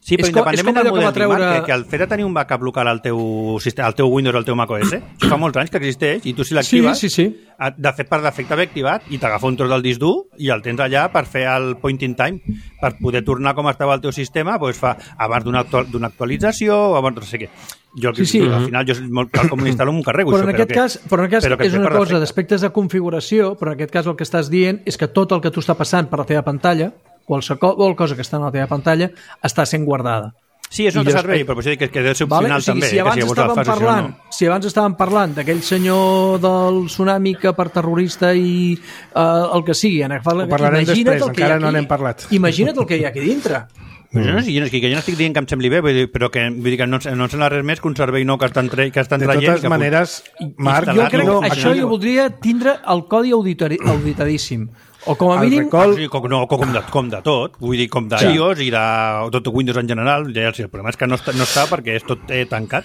Sí, però és com- és independentment com del allò que model, va treure... treure... que, que el fet de tenir un backup local al teu, sistema, al teu Windows o al teu macOS, això fa molts anys que existeix, i tu si l'actives, Sí, sí, sí. et- de fet per defecte ve activat, i t'agafa un tros del disc dur i el tens allà per fer el point in time, per poder tornar com estava el teu sistema, doncs fa abans d'una actual, d'una actualització o abans no sé què. Jo, Sí, sí. al final, jo molt, tal com l'instal·lo, m'ho carrego. Però en això, aquest que, cas, però en aquest però cas que és et ve una per cosa defecte. d'aspectes de configuració, però en aquest cas el que estàs dient és que tot el que tu està passant per la teva pantalla, qualsevol cosa que està en la teva pantalla, està sent guardada. Sí, és un I altre jo servei, espe- però per això dic que, que deu ser Vale? opcional O sigui, també. si eh, abans que si llavors el estàvem fas, això parlant, no. si abans estàvem parlant d'aquell senyor del tsunami que per terrorista i uh, el que sigui, en agafar, Ho parlarem imagina't després, el que hi ha encara no aquí. n'hem parlat. Imagina't el que hi ha aquí dintre. Però jo no, sé, jo no, que jo no estic dient que em sembli bé, vull dir, però que, vull dir que no, no em sembla res més que un servei nou que estan, tra que estan De traient. totes i que maneres, Marc, Jo instal·lar-lo crec no, que no, això no, jo voldria tindre el codi auditori, auditadíssim. O com a El mínim... recol- Sí, com, no, com, de, com de tot, vull dir, com d'iOS i de tot Windows en general. Ja, sí, el problema és que no està, no està perquè és tot eh, tancat,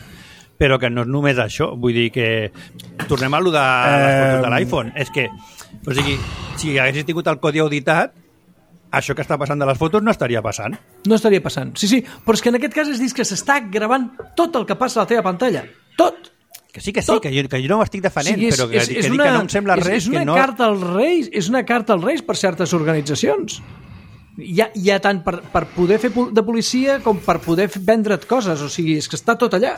però que no és només això. Vull dir que... Tornem a allò de les Eh, fotos de l'iPhone. És que, o sigui, si haguessis tingut el codi auditat, això que està passant de les fotos no estaria passant. No estaria passant. Sí, sí, però és que en aquest cas es diu que s'està gravant tot el que passa a la teva pantalla. Tot! Que sí, que sí, Tot. que jo, que jo no ho estic defendent, és, però que, és, que, és dic una, que no em sembla és, res és una que no... carta als reis, és una carta als reis per certes organitzacions. Hi ha, hi ha tant per, per poder fer pol- de policia com per poder f- vendre't coses, o sigui, és que està tot allà.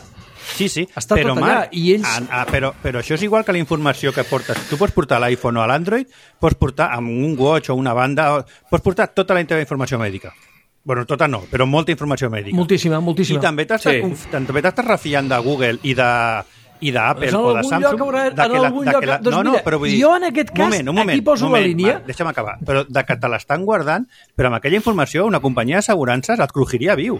Sí, sí, Està però, tot allà, Marc, i ells- ah, ah, però, però això és igual que la informació que portes. Tu pots portar a l'iPhone o a l'Android, pots portar amb un watch o una banda, o, pots portar tota la teva informació mèdica. Bueno, tota no, però molta informació mèdica. Moltíssima, moltíssima. I també t'estàs Sí. conf- també t'estàs refiant de Google i de i d'Apple Doncs en o de algun Samsung lloc haurà- de en que la, algun de lloc- que la, doncs no, no, mira, però vull dir, jo en aquest cas, un moment, un moment, aquí poso un la moment, línia. Marc, deixa'm acabar, però de que te l'estan guardant, però amb aquella informació una companyia d'assegurances et crujiria viu.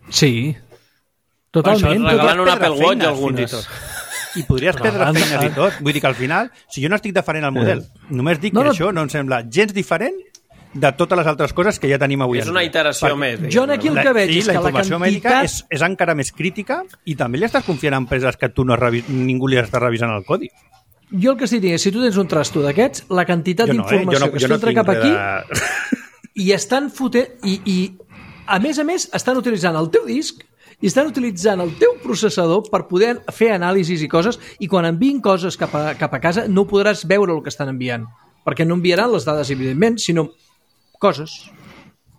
Sí, Per això totalment. et regalen un Podries Apple perdre Watch feines, alguns i fins tot. I podries perdre Regalant- feines i tot. Vull dir que al final, si jo no estic defendent el model, només dic No, que no. això no em sembla gens diferent de totes les altres coses que ja tenim avui. És en una dia. iteració Perquè més. Jo aquí el la, que veig sí, és la que la informació mèdica quantitat... és, és encara més crítica i també li estàs confiant a empreses que tu no revi... ningú li està revisant el codi. Jo el que estic dient és, si tu tens un trasto d'aquests, la quantitat Jo no, eh? d'informació Jo no- que jo es no filtra tinc cap res aquí de- i estan fotent... I, I, a més a més, estan utilitzant el teu disc i estan utilitzant el teu processador per poder fer anàlisis i coses, i quan enviïn coses cap a, cap a casa no podràs veure el que estan enviant, perquè no enviaran les dades, evidentment, sinó coses.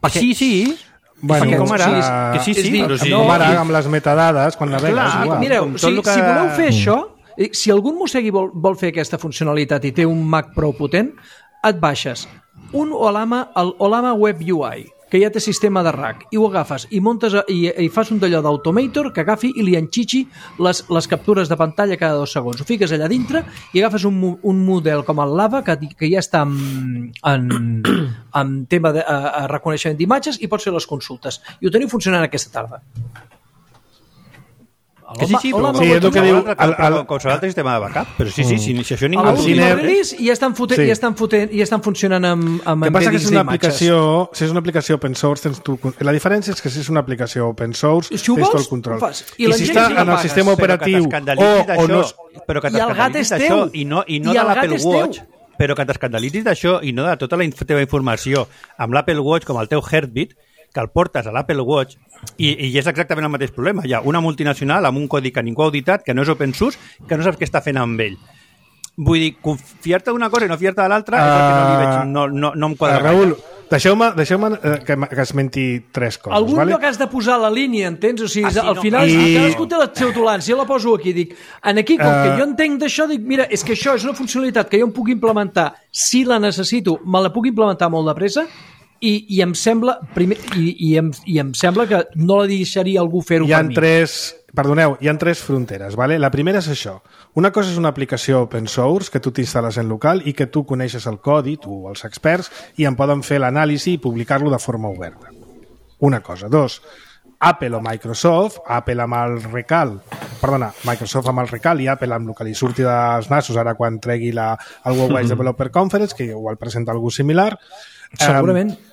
Perquè- Sí, sí. Bueno, Perquè com ara, sí, que sí, és sí, dir, però sí. no, Com ara, amb les metadades, quan navegues, Clar, igual. Mireu, com tot si, el que- si voleu fer això, eh, si algun mossegui vol, vol fer aquesta funcionalitat i té un Mac prou potent, et baixes un Olama, el Olama Web U I, que ja té sistema de rack, i ho agafes i muntes a, i, i fas un d'allò d'Automator que agafi i li enxitxi les, les captures de pantalla cada dos segons. Ho fiques allà dintre i agafes un, mo- un model com el Lava, que, que ja està en, en, en tema de a, a reconeixement d'imatges, i pots fer les consultes. I ho teniu funcionant aquesta tarda. Que sí, sí, Hola, però sí, és el que diu... el, el, qualsevol altre sistema de backup, però sí, sí, sí, si això ningú... A El l'últim cine- release i estan fotent, Sí. i estan fotent, i estan funcionant amb, amb El que passa que és embeddings una d'imatges. aplicació, si és una aplicació open source, tens tu, la diferència és que si és una aplicació open source, Si ho tens tot vols, el control. ho fas. I I, la si gent està sí que en el pagues, sistema operatiu o, o no... Però que I el gat t'escandalitzis és d'això teu. i no, i no I de el gat l'Apple és teu. Watch, però que t'escandalitzis d'això i no de tota la inf- teva informació amb l'Apple Watch com el teu Heartbeat, que el portes a l'Apple Watch i, i és exactament el mateix problema. Hi ha una multinacional amb un codi que ningú ha auditat, que no és open source, que no saps què està fent amb ell. Vull dir, confiar-te d'una cosa i no fiar-te de l'altra uh, és el que no, li veig, no, no, no em quadra. Uh, Raül, deixeu-me deixeu eh, que, m- que esmenti tres coses. Algun vale? lloc has de posar la línia, entens? O sigui, Ah, sí, al no. final, I- cadascú té la seva tolerància. Jo la poso aquí, dic, en aquí, com Eh. que jo entenc d'això, dic, mira, és que això és una funcionalitat que jo em puc implementar, si la necessito, me la puc implementar molt de pressa, i, i em sembla primer, i, i, em, i em sembla que no la deixaria algú fer-ho Hi ha per mi. tres... Perdoneu, hi ha tres fronteres. Vale? La primera és això. Una cosa és una aplicació open source que tu t'instal·les en local i que tu coneixes el codi, tu o els experts, i en poden fer l'anàlisi i publicar-lo de forma oberta. Una cosa. Dos, Apple o Microsoft, Apple amb el recal, perdona, Microsoft amb el recal i Apple amb el que li surti dels nassos ara quan tregui la, el World Wide Developer Conference, que igual presenta algú similar. Segurament. Um,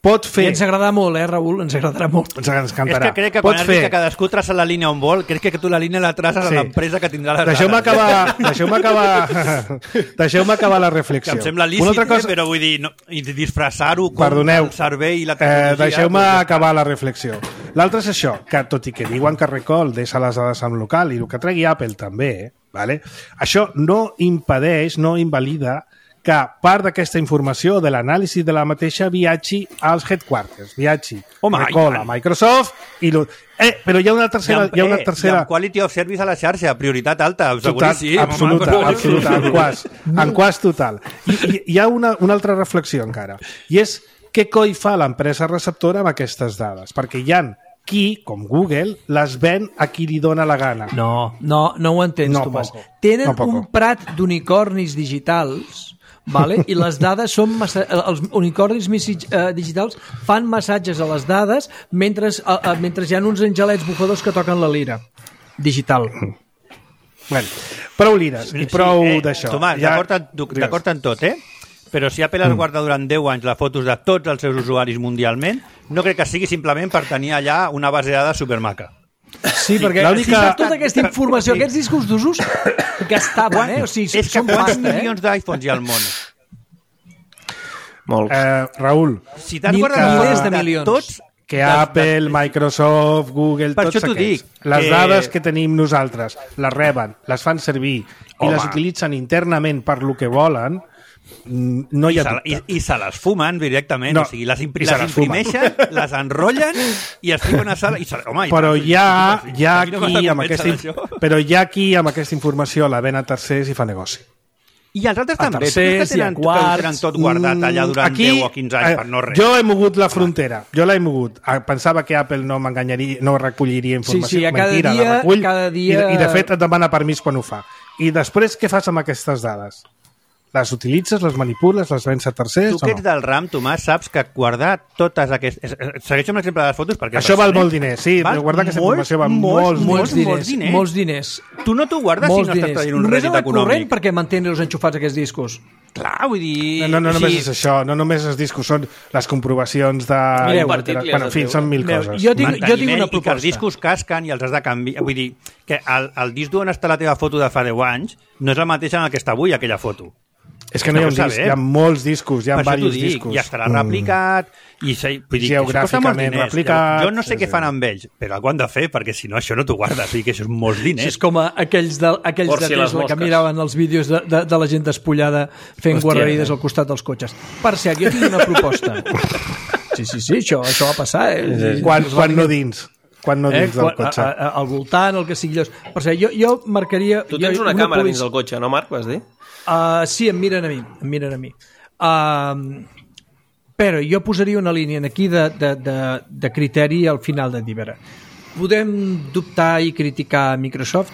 pot I fer... ens agradarà molt, eh, Raül? Ens agradarà molt. Ens, ens És encantarà. que crec que pot quan fer... fer... que cadascú traça la línia on vol, crec que tu la línia la traces Sí. a l'empresa que tindrà les Deixeu-me dades. acabar, deixeu-me acabar, deixeu-me acabar la reflexió. Que em sembla Una lícit, altra cosa... cosa... però vull dir, no, i disfressar-ho com Perdoneu, el servei i la eh, tecnologia... deixeu-me doncs ja acabar la reflexió. L'altre és això, que tot i que diuen que Recall deixa les dades en local i el que tregui Apple també, eh, vale? Això no impedeix, no invalida que part d'aquesta informació de l'anàlisi de la mateixa viatgi als headquarters, viatgi Home, Recall i a tant. Microsoft i lo... eh, però hi ha una tercera, I amb, hi ha una eh, tercera... i amb quality of service a la xarxa, prioritat alta, Total, seguríssim. absoluta, home, absoluta, en quas, en quas total. I, i hi ha una, una altra reflexió encara, i és què coi fa l'empresa receptora amb aquestes dades? Perquè hi ha qui, com Google, les ven a qui li dona la gana. No, no, no ho entens, No, Tomàs. poco. Tenen No, poco. un prat d'unicornis digitals, vale? I les dades són massa... els unicornis missi- eh, digitals fan massatges a les dades mentre, eh, eh, mentre hi ha uns angelets bufadors que toquen la lira digital. Bueno, prou lires i prou Sí, eh, d'això. Tomàs, Ja- d'acord en, Digues. d'acord en tot, eh? Però si Apple es guarda durant deu anys les fotos de tots els seus usuaris mundialment, no crec que sigui simplement per tenir allà una base de dades supermaca. Sí, perquè l'única- si saps tota aquesta informació, aquests discos d'usos gastaven, eh? O sigui, És que són quants pasta, eh? milions d'iPhones hi ha al món? Molts. Eh, Raül, Si t'has Mil- guardat milers de de milions. tots, que de- Apple, de- Microsoft, Google, Per tots això t'ho aquests, dic, les que- dades que tenim nosaltres, les reben, les fan servir i Home. les utilitzen internament per lo que volen, mm, no hi I ha se, dubte. i, i se les fumen directament, No, o sigui, les, impri i se les les fumen. imprimeixen, les enrotllen i es fiquen a sala i se, home, i Però tant, hi ha, sí, hi ha a mi no m'ha qui de amb convèncer aquesta, d'això. però hi ha qui amb aquesta informació la ven a tercers i fa negoci. I els altres també, tu creus tercers que i a tenen, que ho quarts. tenen tot guardat allà durant Aquí, deu o quinze anys eh, per no res. Jo he mogut la frontera, jo l'he mogut. Ah, pensava que Apple no m'enganyaria, no recolliria informació. Sí, sí, a cada Mentira, dia- la recull, cada dia- I, I de fet et demana permís quan ho fa. I després què fas amb aquestes dades? Les utilitzes, les manipules, les vens a tercers Tu o que ets no? del RAM, Tomàs, saps que guardar totes aquestes... Segueixo amb l'exemple de les fotos perquè... és Això val bastant, molt diners, sí, Val guardar aquesta molts, informació val molts, molts, Molts molts, diners, molts diners. molts diners. Tu no t'ho guardes Molts si no estàs diners. traient un Només rèdit en el corrent econòmic. perquè mantenir-los enxufats aquests discos. Clar, vull dir... No, no, no només sí, és això, no només els discos, són les comprovacions de... Mireu, articles bueno, en fi, es diu. són mil Mireu, coses. jo tinc- manteniment jo tinc una i que proposta. els discos casquen i els has de canviar. Vull dir, que el, el disc d'on està la teva foto de fa deu anys no és el mateix en el que està avui, aquella foto. És que no hi ha un Ho disc, saber. hi ha molts discos, hi ha Per això t'ho diversos dic, discos. i estarà replicat, i se, vull dir, que això costa molts Geogràficament diners. replicat, Jo no sé sí, què sí. fan amb ells, però algú han de fer, perquè si no això no t'ho guardes, o sigui que això és molts Sí, diners. és com a aquells de, aquells Por de si les Tesla que mosques. miraven els vídeos de, de, de la gent despullada fent Hòstia, guarrerides eh? al costat dels cotxes. Per cert, jo tinc una proposta. Sí, sí, sí, això, això va passar. Eh? Quan, quan no dins? Quan no Eh? dins del Quan, cotxe? a, a, al voltant, el que sigui. Llavors, per cert, jo, jo marcaria... Tu jo, tens una càmera policia- dins del cotxe, no, Marc, vas dir? Uh, sí, em miren a mi, em miren a mi. Uh, però jo posaria una línia aquí de, de, de, de criteri al final de dir, a veure, podem dubtar i criticar Microsoft,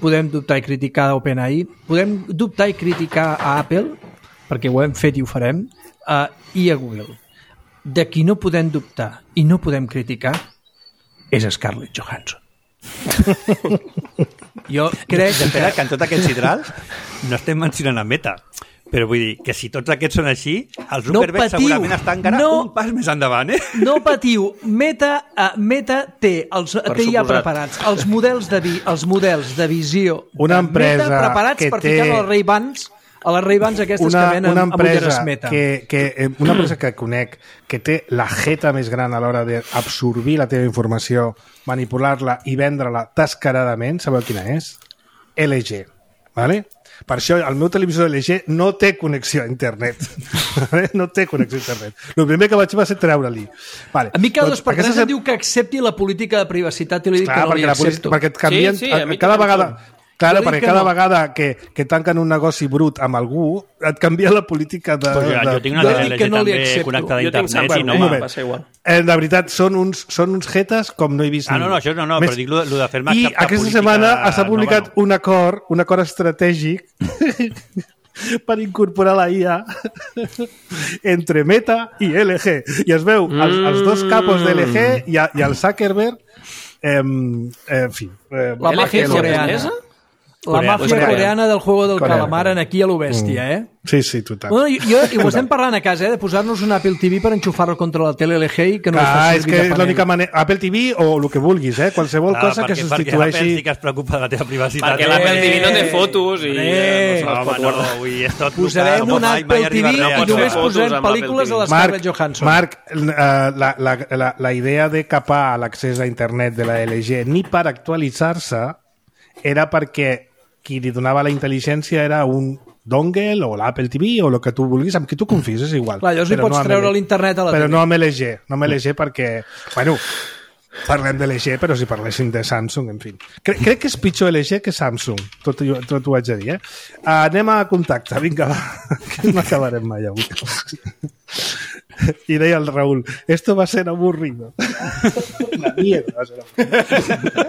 podem dubtar i criticar OpenAI, podem dubtar i criticar a Apple, perquè ho hem fet i ho farem, uh, i a Google. De qui no podem dubtar i no podem criticar és Scarlett Johansson. Jo crec Espera, que... que en tot aquest sidral no estem mencionant a Meta. Però vull dir que si tots aquests són així, el Zuckerberg patiu, segurament està encara no, un pas més endavant, eh? No patiu, Meta, uh, Meta té, els, Per té ja suposat. preparats els models de, vi, els models de visió Una de empresa Meta preparats que per té- ficar a les Ray-Bans a les Ray-Bans aquestes una, que venen una amb ulleres empresa Meta. que, que, eh, una empresa que conec que té la jeta més gran a l'hora d'absorbir la teva informació, manipular-la i vendre-la descaradament, sabeu quina és? L G, vale? Per això el meu televisor L G no té connexió a internet. No té connexió a internet. El primer que vaig fer va ser treure-li. Vale. A mi cada Doncs dos per tres aquesta em diu que accepti la política de privacitat i li dic Clar, que no li perquè, la política, accepto. perquè et canvien, Sí, sí, a mi cada també em vegada... surt. Claro, Jo dic perquè que cada no. vegada que, que tanquen un negoci brut amb algú, et canvia la política de... Pues ja, de jo tinc una Jo L dic G que no li també accepto. connectada a Jo tinc internet Samsung, i no eh? m'ha... moment. va ser igual. Eh, de veritat, són uns, són uns jetes com no he vist Ah, no, ningú. no, això no, no, Més- però dic lo, lo de fer-me I acceptar aquesta política setmana s'ha publicat nova, no. un acord, un acord estratègic per incorporar la I A entre Meta i L G. I es veu els, els dos capos de L G i, a, i el Zuckerberg eh, en fi. Eh, La L G màfia és coreana. japonesa? La Coreana. màfia Coreana. coreana del juego del Coreana. calamar en aquí a lo bèstia, eh? Sí, sí, total. Bueno, jo, jo, i ho estem parlant a casa, eh, de posar-nos un Apple T V per enxufar-lo contra la tele L G i que no es Ah, faci és servir que de és panell. l'única manera... Apple T V o el que vulguis, eh? Qualsevol Clar, cosa que perquè- perquè substitueixi... l'Apple sí que es preocupa de la teva privacitat. Perquè l'Apple T V no té fotos i Eh, eh, no se les Home, pot no, guardar. vull dir, és tot Posarem local, un mai- mai Apple T V arribarà i a pots només fer fotos posarem amb l'Apple pel·lícules T V. de la Scarlett Johansson. Marc, eh, la, la, la, la idea de capar l'accés a internet de la L G ni per actualitzar-se era perquè qui li donava la intel·ligència era un dongle o l'Apple T V o el que tu vulguis, amb qui tu confies, és igual. Clar, llavors li Però pots amb treure L- l'internet a la Però tele. no amb L G, no amb L G perquè... Bueno, parlem de L G, però si parléssim de Samsung, en fi. Crec, crec que és pitjor L G que Samsung, tot, tot ho haig de dir, eh? Uh, anem a contacte, vinga, va, que no acabarem mai avui. Y deia el Raúl, esto va a ser aburrido. La mierda va a ser aburrido.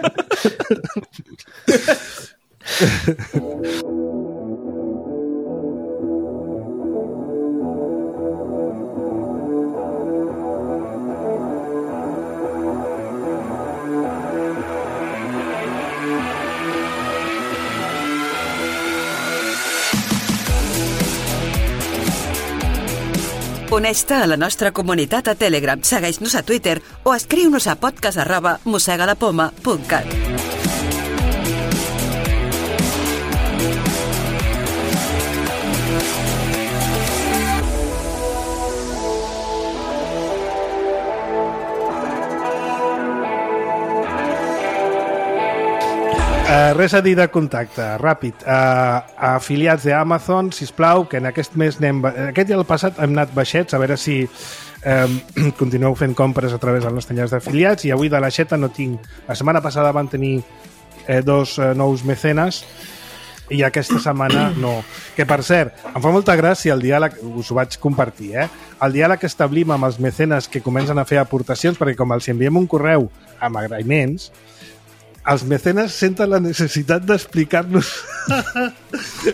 Uneix-te a la nostra comunitat a Telegram, segueix-nos a Twitter o escriu-nos a podcast arroba mossegalapoma punt cat. Uh, res a dir de contacte, ràpid. Uh, afiliats d'Amazon, sisplau, que en aquest mes anem... Aquest i el passat hem anat baixets, a veure si um, continueu fent compres a través del nostre enllaç d'afiliats, i avui de l'aixeta no tinc... La setmana passada van tenir eh, dos eh, nous mecenes, i aquesta setmana no. Que, per cert, em fa molta gràcia el diàleg, us ho vaig compartir, eh? El diàleg que establim amb els mecenes que comencen a fer aportacions, perquè com els enviem un correu amb agraïments, els mecenes senten la necessitat d'explicar-nos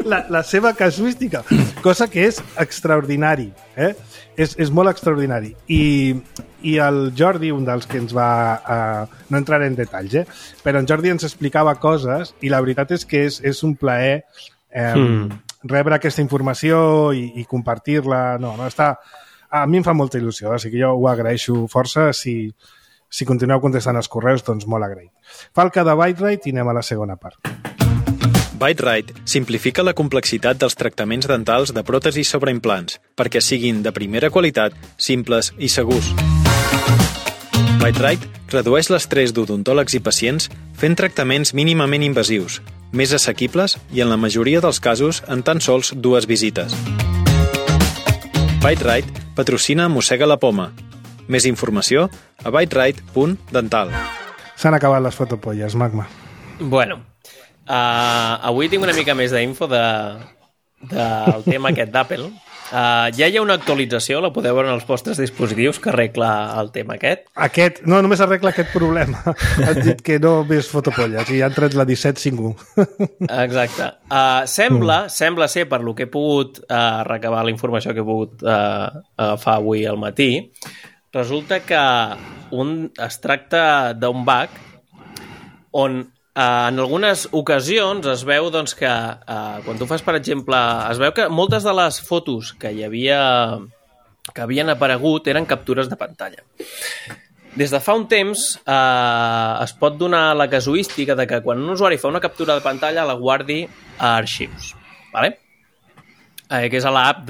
la, la seva casuística, cosa que és extraordinari, eh? És, és molt extraordinari. I, I el Jordi, un dels que ens va... Uh, no entraré en detalls, eh? Però en Jordi ens explicava coses i la veritat és que és, és un plaer eh, mm. rebre aquesta informació i, i compartir-la. No, no, està... A mi em fa molta il·lusió, així que jo ho agraeixo força. Si, si continueu contestant els correus, doncs molt agraït. Falca de ByteRite i anem a la segona part. ByteRite simplifica la complexitat dels tractaments dentals de pròtesis sobre implants perquè siguin de primera qualitat, simples i segurs. ByteRite redueix l'estrès d'odontòlegs i pacients fent tractaments mínimament invasius, més assequibles i en la majoria dels casos en tan sols dues visites. ByteRite patrocina Mossega la Poma. Més informació a byterite punt dental. S'han acabat les fotopolles, Magma. Bueno, uh, avui tinc una mica més d'info de, del tema aquest d'Apple. Uh, ja hi ha una actualització, la podeu veure en els vostres dispositius, que arregla el tema aquest. Aquest, no, només arregla aquest problema. Han dit que no més fotopolles i han tret la disset cinquanta u. Exacte. Uh, sembla, mm. sembla ser, per lo que he pogut uh, recabar la informació que he pogut uh, agafar avui al matí, resulta que un, es tracta d'un bug on eh, en algunes ocasions es veu doncs, que eh, quan tu fas, per exemple, es veu que moltes de les fotos que hi havia que havien aparegut eren captures de pantalla. Des de fa un temps eh, es pot donar la casuística de que quan un usuari fa una captura de pantalla la guardi a arxius, ¿vale? eh, que és a l'app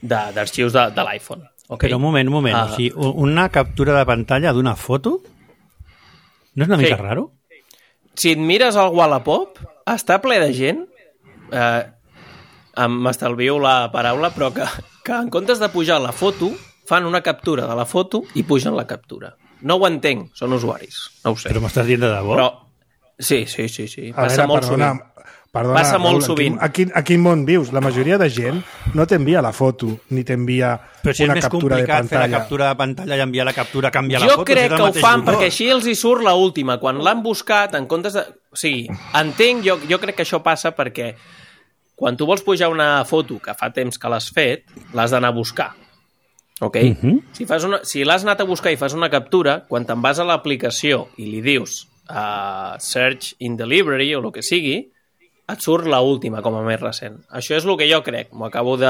d'arxius de, de, de l'iPhone. Okay? Però un moment, un moment. Uh, o sigui, una captura de pantalla d'una foto no és una mica sí. raro? Si et mires al Wallapop, està ple de gent, eh, m'estalvio la paraula, però que, que en comptes de pujar la foto, fan una captura de la foto i pugen la captura. No ho entenc, són usuaris, no ho sé. Però m'estàs dient de debò? Però... Sí, sí, sí, sí. A passa veure, molt perdona, sovint. Perdona, passa molt Raül, sovint. A quin, a quin món vius? La majoria de gent no t'envia la foto, ni t'envia Però si és una més captura de complicat fer la pantalla. captura de pantalla i enviar la captura, canviar Jo la foto... crec si és el que ho mateix fan botó. perquè així els hi surt la última. Quan l'han buscat, en comptes de... O sigui, entenc, jo, jo crec que això passa perquè quan tu vols pujar una foto que fa temps que l'has fet, l'has d'anar a buscar. Ok? Uh-huh. Si, fas una, si l'has anat a buscar i fas una captura, quan te'n vas a l'aplicació i li dius uh, search in the library o el que sigui, et surt la última com a més recent. Això és el que jo crec. M'ho acabo de...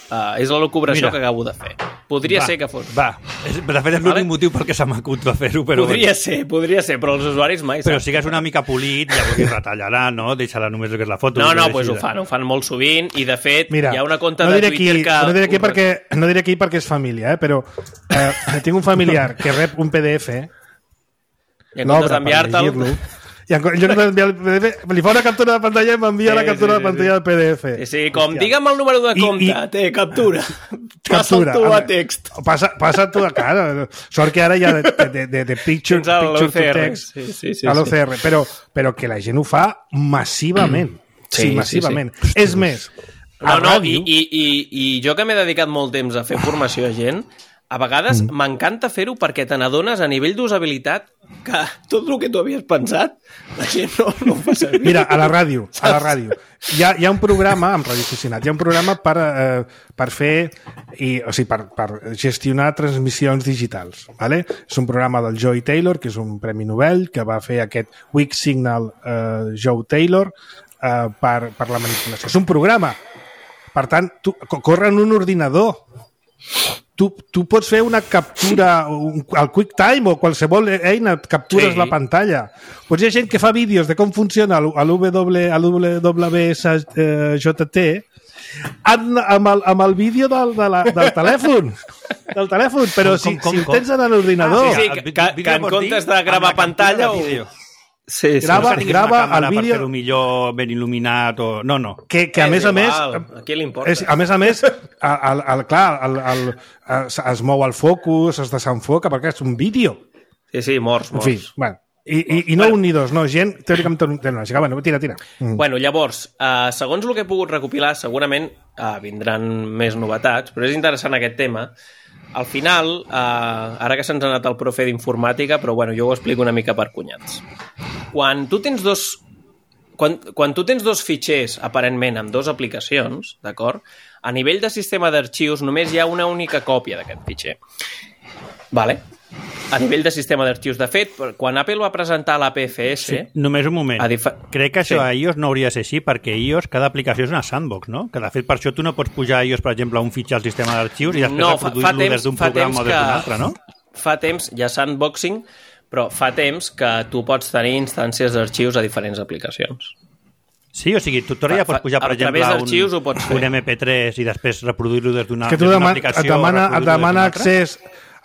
Uh, és la locubració Mira. que acabo de fer. Podria va, ser que fos. Va, és, de fet és l'únic Vale? motiu pel que s'ha m'acut de fer-ho, però... Podria ser, podria ser, però els usuaris mai Però saben. sí que és una mica polit, llavors hi retallarà, no? Deixarà només el que és la foto. No, no, doncs pues ho fan, ho fan molt sovint i de fet Mira, hi ha una compte no de diré Twitter aquí, que... No diré aquí, perquè, no diré aquí perquè és família, eh? Però eh, tinc un familiar que rep un P D F, I en comptes l'obre per d'enviar-te'l... llegir-lo, i en lloc d'enviar el P D F, li fa una captura de pantalla i m'envia Sí, la captura sí, de pantalla sí. del P D F. Sí, sí, com Hòstia. digue'm el número de I- compte, i- té, captura. Captura. Passa'l tu a Home, text. Passa, passa tu a cara. Sort que ara hi ha de, de, de, de picture, Tens el picture O C R. to text Sí, sí, sí, a l'O sí. C R, però, però que la gent ho fa massivament. Sí, Sí, massivament. sí, És més, a No, no, i, ràdio... i, i, i jo que m'he dedicat molt temps a fer formació a gent, a vegades m'encanta fer-ho perquè te n'adones a nivell d'usabilitat que tot el que tu havies pensat la gent no, no ho fa servir. Mira, a la ràdio, a la ràdio. Hi ha, hi ha un programa, amb Ràdio Aficionat, hi ha un programa per, eh, per fer, i, o sigui, per, per gestionar transmissions digitals. ¿Vale? És un programa del Joey Taylor, que és un premi Nobel, que va fer aquest Weak Signal eh, Joe Taylor eh, per, per la manipulació. És un programa. Per tant, tu, corre en un ordinador. Tu, tu pots fer una captura un, al QuickTime o qualsevol eina, captures Sí. la pantalla. Pues hi ha gent que fa vídeos de com funciona l'U W S J T amb, amb, el, amb el vídeo del, de la, del telèfon. Del telèfon, però Com, si, com, com, si ho com? tens en l'ordinador... Ah, sí, El que, vi- que, vídeo que en vols dir comptes de gravar amb la captura pantalla... de O... vídeo. Sí, sí. Grava- no tinguis grava una càmera el vídeo- per fer-ho millor, ben il·luminat o... No, no. que, que a És més a més igual, a qui li importa? és, a més a més el, el, el, clar, el, el, es, es mou el focus, es desenfoca perquè és un vídeo, Sí, sí, morts, en morts. fi, bueno, i, i, i no Bueno. un ni dos, no, gent teòricament tecnològica. Bueno, tira, tira. Mm. Bueno, llavors, eh, segons el que he pogut recopilar, segurament eh, vindran més novetats, però és interessant aquest tema. Al final, eh, ara que se'ns ha anat el profe d'informàtica, però bueno, jo ho explico una mica per cunyats. Quan tu tens dos, quan, quan tu tens dos fitxers, aparentment, amb dues aplicacions, d'acord? A nivell de sistema d'arxius només hi ha una única còpia d'aquest fitxer. Vale? A nivell de sistema d'arxius. De fet, quan Apple va presentar l'A P F S... Sí, només un moment. A difa- Crec que això Sí. a iOS no hauria de ser així, perquè iOS, cada aplicació és una sandbox, no? Que de fet per això tu no pots pujar a iOS, per exemple, un fitxer al sistema d'arxius i després No, fa- fa reproduir-lo temps- des d'un fa programa temps o des d'un que- altre, no? Fa temps, hi ha sandboxing, però fa temps que tu pots tenir instàncies d'arxius a diferents aplicacions. Sí, o sigui, tu ara ja Fa- pots pujar, per a través exemple, d'arxius ho un, pots fer. un M P tres i després reproduir-lo des d'una Que tu des d'una deman, aplicació et demana, o et reproduir-lo demana des d'una altra. accés,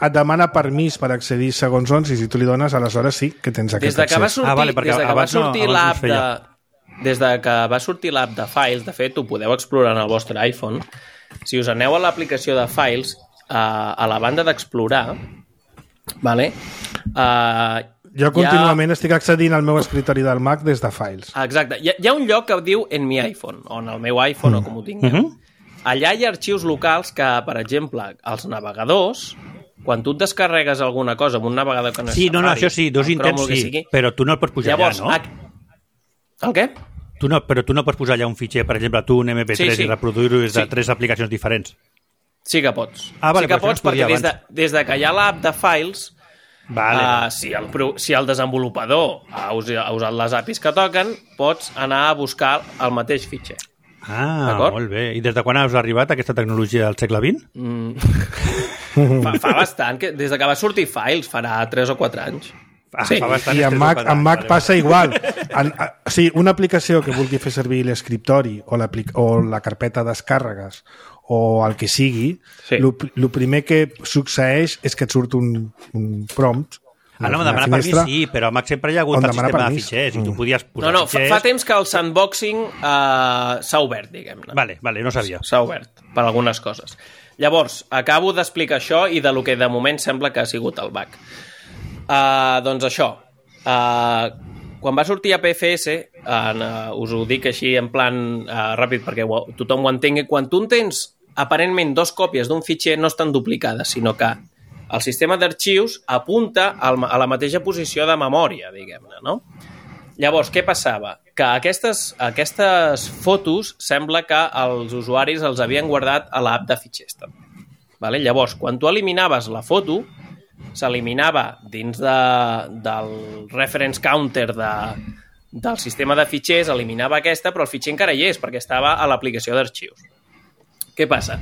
et demana permís per accedir segons on, i si tu li dones, aleshores sí que tens Des aquest de que va accés. sortir, Ah, vale, perquè des de que va abans no- sortir abans no es l'app de... feia. Des de que va sortir l'app de Files, de fet, ho podeu explorar en el vostre iPhone. Si us aneu a l'aplicació de Files, a, a la banda d'explorar, vale? Uh, Jo contínuament estic accedint al meu escritori del Mac des de Files. Exacte. Hi ha, hi ha un lloc que diu en mi iPhone, o en el meu iPhone, mm. o com ho tingueu. Mhm. Allà hi ha arxius locals que, per exemple, els navegadors, quan tu et descarregues alguna cosa amb un navegador que no és Sí, no, no, Safari, això sí, dos el Chrome, intents el que sí, sigui, però tu no el pots pujar llavors, allà, no? a... El què? Tu no? Però tu no pots posar allà un fitxer, per exemple, tu un M P tres Sí, sí. i reproduir-ho des de Sí. tres aplicacions diferents. Sí que pots. Ah, vale, sí que però això no pots es podia perquè des de, abans. des de que hi ha l'app de Files Vale. Uh, si, el, si el desenvolupador ha usat les A P Is que toquen, pots anar a buscar el mateix fitxer. Ah, molt bé. I des de quan has arribat a aquesta tecnologia del segle vint? Mm. fa, fa bastant, que des de que va sortir Files farà tres o quatre anys. Ah, sí. fa bastant. I en Mac, en Mac passa igual. En, a, o sigui, una aplicació que vulgui fer servir l'escriptori o, o la carpeta descàrregues o el que sigui, sí. el primer que succeeix és que et surt un, un prompt. Ah, no, demanar permís sí, però a Mac sempre hi ha hagut el sistema permís. De fitxers i tu podies posar no, no, fitxers... fa, fa temps que el sandboxing uh, s'ha obert, diguem-ne. Vale, vale, no sabia. S'ha obert per algunes coses. Llavors, acabo d'explicar això i de lo que de moment sembla que ha sigut el bug. Uh, doncs això, uh, quan va sortir A P F S, uh, us ho dic així en plan uh, ràpid perquè ho, tothom ho entengui, quan tu tens aparentment dos còpies d'un fitxer no estan duplicades, sinó que el sistema d'arxius apunta al, a la mateixa posició de memòria, diguem-ne, no? Llavors, què passava? Que aquestes, aquestes fotos sembla que els usuaris els havien guardat a l'app de fitxers també. Vale? Llavors, quan tu eliminaves la foto, s'eliminava dins de, del reference counter de, del sistema de fitxers, eliminava aquesta, però el fitxer encara hi és, perquè estava a l'aplicació d'arxius. Què passa?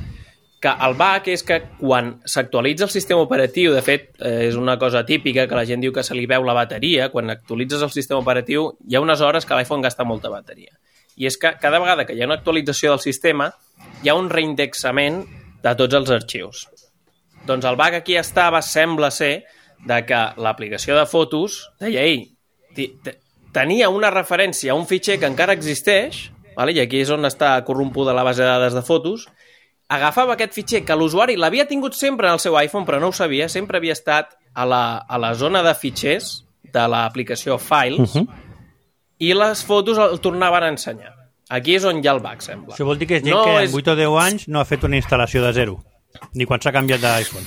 Que el bug és que quan s'actualitza el sistema operatiu, de fet, eh, és una cosa típica que la gent diu que se li veu la bateria, quan actualitzes el sistema operatiu hi ha unes hores que l'iPhone gasta molta bateria. I és que cada vegada que hi ha una actualització del sistema hi ha un reindexament de tots els arxius. Doncs el bug aquí estava, sembla ser, de que l'aplicació de fotos deia, ei, tenia una referència a un fitxer que encara existeix, vale? I aquí és on està corrompuda la base de dades de fotos, agafava aquest fitxer que l'usuari l'havia tingut sempre en el seu iPhone, però no ho sabia, sempre havia estat a la, a la zona de fitxers de l'aplicació Files, uh-huh. i les fotos el tornaven a ensenyar. Aquí és on hi ha el bug, sembla. Això vol dir que és gent no que en és... vuit o deu anys no ha fet una instal·lació de zero, ni quan s'ha canviat d'iPhone.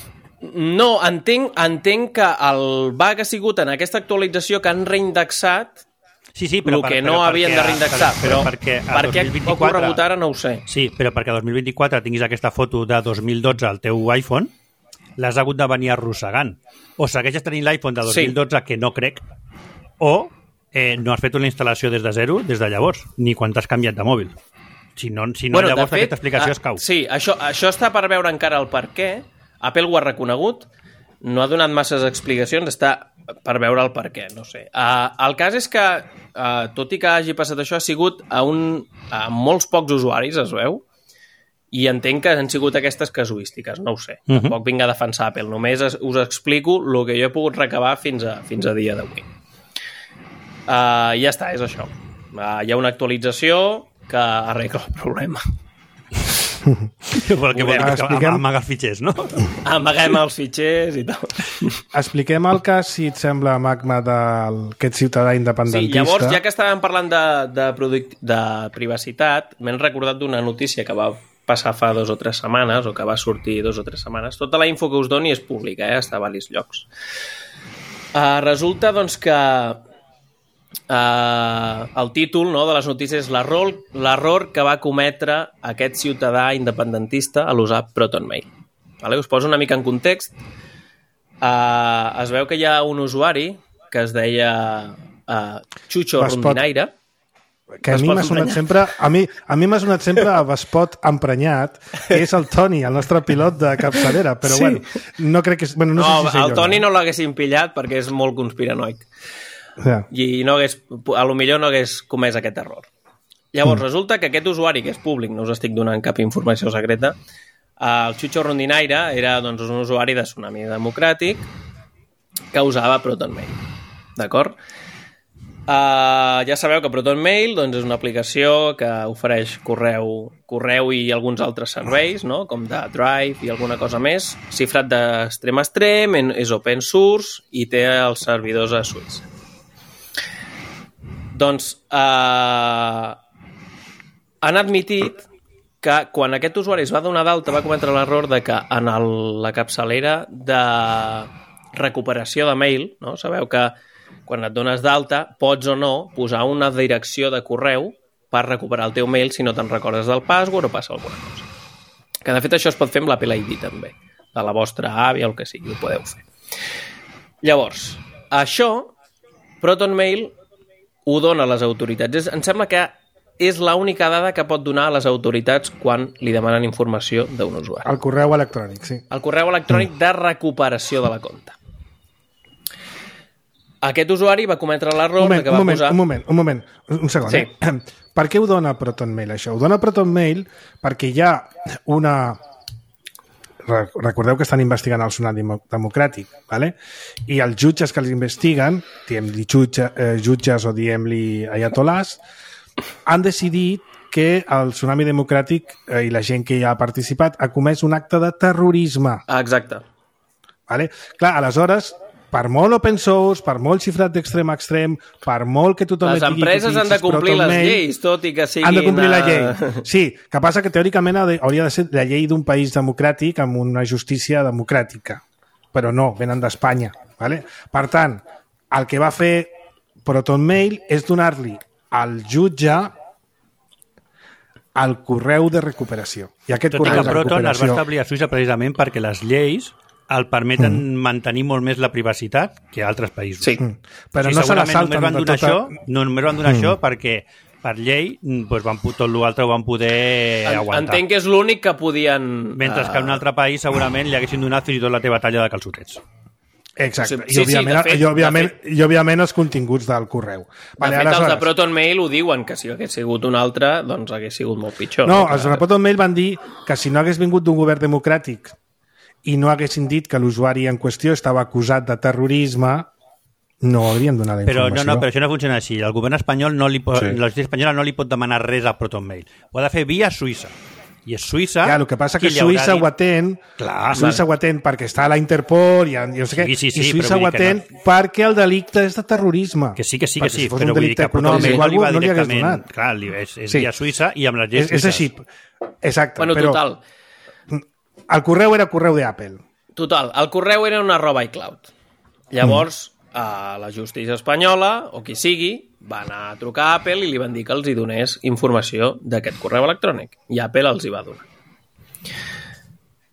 No, entenc, entenc que el bug ha sigut en aquesta actualització que han reindexat sí, sí, però el que per, no però havien perquè, de reindexar, però, però perquè per què ha ocorregut ara no ho sé. Sí, però perquè a dos mil vint-i-quatre tinguis aquesta foto de dos mil dotze al teu iPhone, l'has hagut de venir arrossegant. O segueixes tenint l'iPhone de dos mil dotze, sí. que no crec, o eh, no has fet una instal·lació des de zero des de llavors, ni quan t'has canviat de mòbil. Si no, si no bueno, llavors fet, aquesta explicació uh, es cau. Sí, això, això està per veure encara el per què. Apple ho ha reconegut, no ha donat masses explicacions, està per veure el per què, no sé. Uh, el cas és que, uh, tot i que hagi passat això, ha sigut a, un, a molts pocs usuaris, es veu, i entenc que han sigut aquestes casuístiques, no ho sé. Uh-huh. Tampoc vinc a defensar Apple, només es, us explico el que jo he pogut recabar fins a, fins a dia d'avui. Uh, ja està, és això. Uh, hi ha una actualització que arregla el problema. Que vol, que vol dir que amagar els fitxers, no? Amaguem els fitxers i tal. Expliquem el cas, si et sembla, Magma, d'aquest ciutadà independentista. Sí, llavors, ja que estàvem parlant de, de, product, de privacitat, m'he recordat d'una notícia que va passar fa dos o tres setmanes, o que va sortir dos o tres setmanes. Tota la info que us doni és pública, eh? Està a diversos llocs. Uh, resulta, doncs, que Uh, el títol, no, de les notícies és l'error que va cometre aquest ciutadà independentista a l'usar ProtonMail. Vale? Us poso una mica en context. Uh, es veu que hi ha un usuari que es deia uh, Chucho Rondinaire. Que a mi m'ha sonat sempre a mi, a mi m'ha sonat sempre a Vespot emprenyat, que és el Toni, el nostre pilot de capçalera, però sí. bueno, no crec que... Bueno, no, no sé si el jo, Toni no, no l'haguessin pillat perquè és molt conspiranoic. Yeah. I no hagués, a lo millor no hagués comès aquest error. Llavors, mm. resulta que aquest usuari, que és públic, no us estic donant cap informació secreta, el Chucho Rondinaire era doncs, un usuari de Tsunami Democràtic que usava ProtonMail. D'acord? Uh, ja sabeu que ProtonMail doncs, és una aplicació que ofereix correu, correu i alguns altres serveis, no? Com de Drive i alguna cosa més, xifrat d'extrem a extrem, és open source i té els servidors a Suïssa. Doncs eh, han admitit que quan aquest usuari es va donar d'alta va cometre l'error de que en el, la capçalera de recuperació de mail, no? Sabeu que quan et dones d'alta pots o no posar una direcció de correu per recuperar el teu mail si no te'n recordes del password o passa alguna cosa. Que de fet això es pot fer amb l'Apple I D també, de la vostra àvia o el que sigui, ho podeu fer. Llavors, això, ProtonMail ho dona a les autoritats. És, em sembla que és l'única dada que pot donar a les autoritats quan li demanen informació d'un usuari. El correu electrònic, sí. El correu electrònic de recuperació de la compta. Aquest usuari va cometre l'error que va un moment, posar... Un moment, un moment, un segon. Sí. Eh? Per què ho dona ProtonMail, això? Ho dona ProtonMail perquè hi ha una... Recordeu que estan investigant el Tsunami Democràtic, ¿vale? I els jutges que els investiguen, diem-li jutge, eh, jutges o diem-li ayatolás, han decidit que el Tsunami Democràtic eh, i la gent que hi ha participat ha comès un acte de terrorisme. Exacte. Vale? Clar, aleshores, per molt open source, per molt xifrat d'extrem a extrem, per molt que tothom... Les empreses han de complir les lleis, tot i que siguin... Han de complir la llei. Sí, que passa que teòricament hauria de ser la llei d'un país democràtic amb una justícia democràtica. Però no, venen d'Espanya. Vale? Per tant, el que va fer ProtonMail és donar-li al jutge el correu de recuperació. I aquest Tot i correu que de Proton es va recuperació... establir a Suïssa precisament perquè les lleis el permeten mm. mantenir molt més la privacitat que altres països. Sí. Mm. Però o sigui, no se la segurament salten només van de donar tota... això, no, només van donar mm. això perquè per llei doncs van, tot l'altre ho van poder aguantar. Entenc que és l'únic que podien... Mentre que en un altre país segurament li haguessin donat fins i tot la teva talla de calçotets. Exacte. Sí, I, òbviament, sí, fet, i, òbviament, I òbviament els continguts del correu. De Vale, fet, aleshores... els de ProtonMail ho diuen, que si hagués sigut un altre, doncs hagués sigut molt pitjor. No, que... els de ProtonMail van dir que si no hagués vingut d'un govern democràtic i no haguessin dit que l'usuari en qüestió estava acusat de terrorisme, no haurien donat la però, informació. No, no, però això no funciona així. El govern espanyol, no li pot, Sí. la justícia espanyola no li pot demanar res a ProtonMail. Ho ha de fer via Suïssa. I és Suïssa... Ja, el que passa que qui li haurà Suïssa dit- ho atén, Clar, Suïssa ho atén perquè està a la Interpol i, i, no sé què, Sí, sí, sí, i Suïssa però ho vull dir que atén perquè el delicte és de terrorisme. Que sí, que sí, que Perquè sí, si fos però un vull dir delicte que econòmic ProtonMail o no li va alguna cosa, no li hagués directament... donat. Clar, li- és, és Sí. via Suïssa i amb les lleis És, és així. suïsses. Exacte. Bueno, però total. el correu era correu d'Apple. Total, el correu era una arroba iCloud. Llavors, mm. a la justícia espanyola, o qui sigui, va anar a trucar a Apple i li van dir que els hi donés informació d'aquest correu electrònic. I Apple els hi va donar.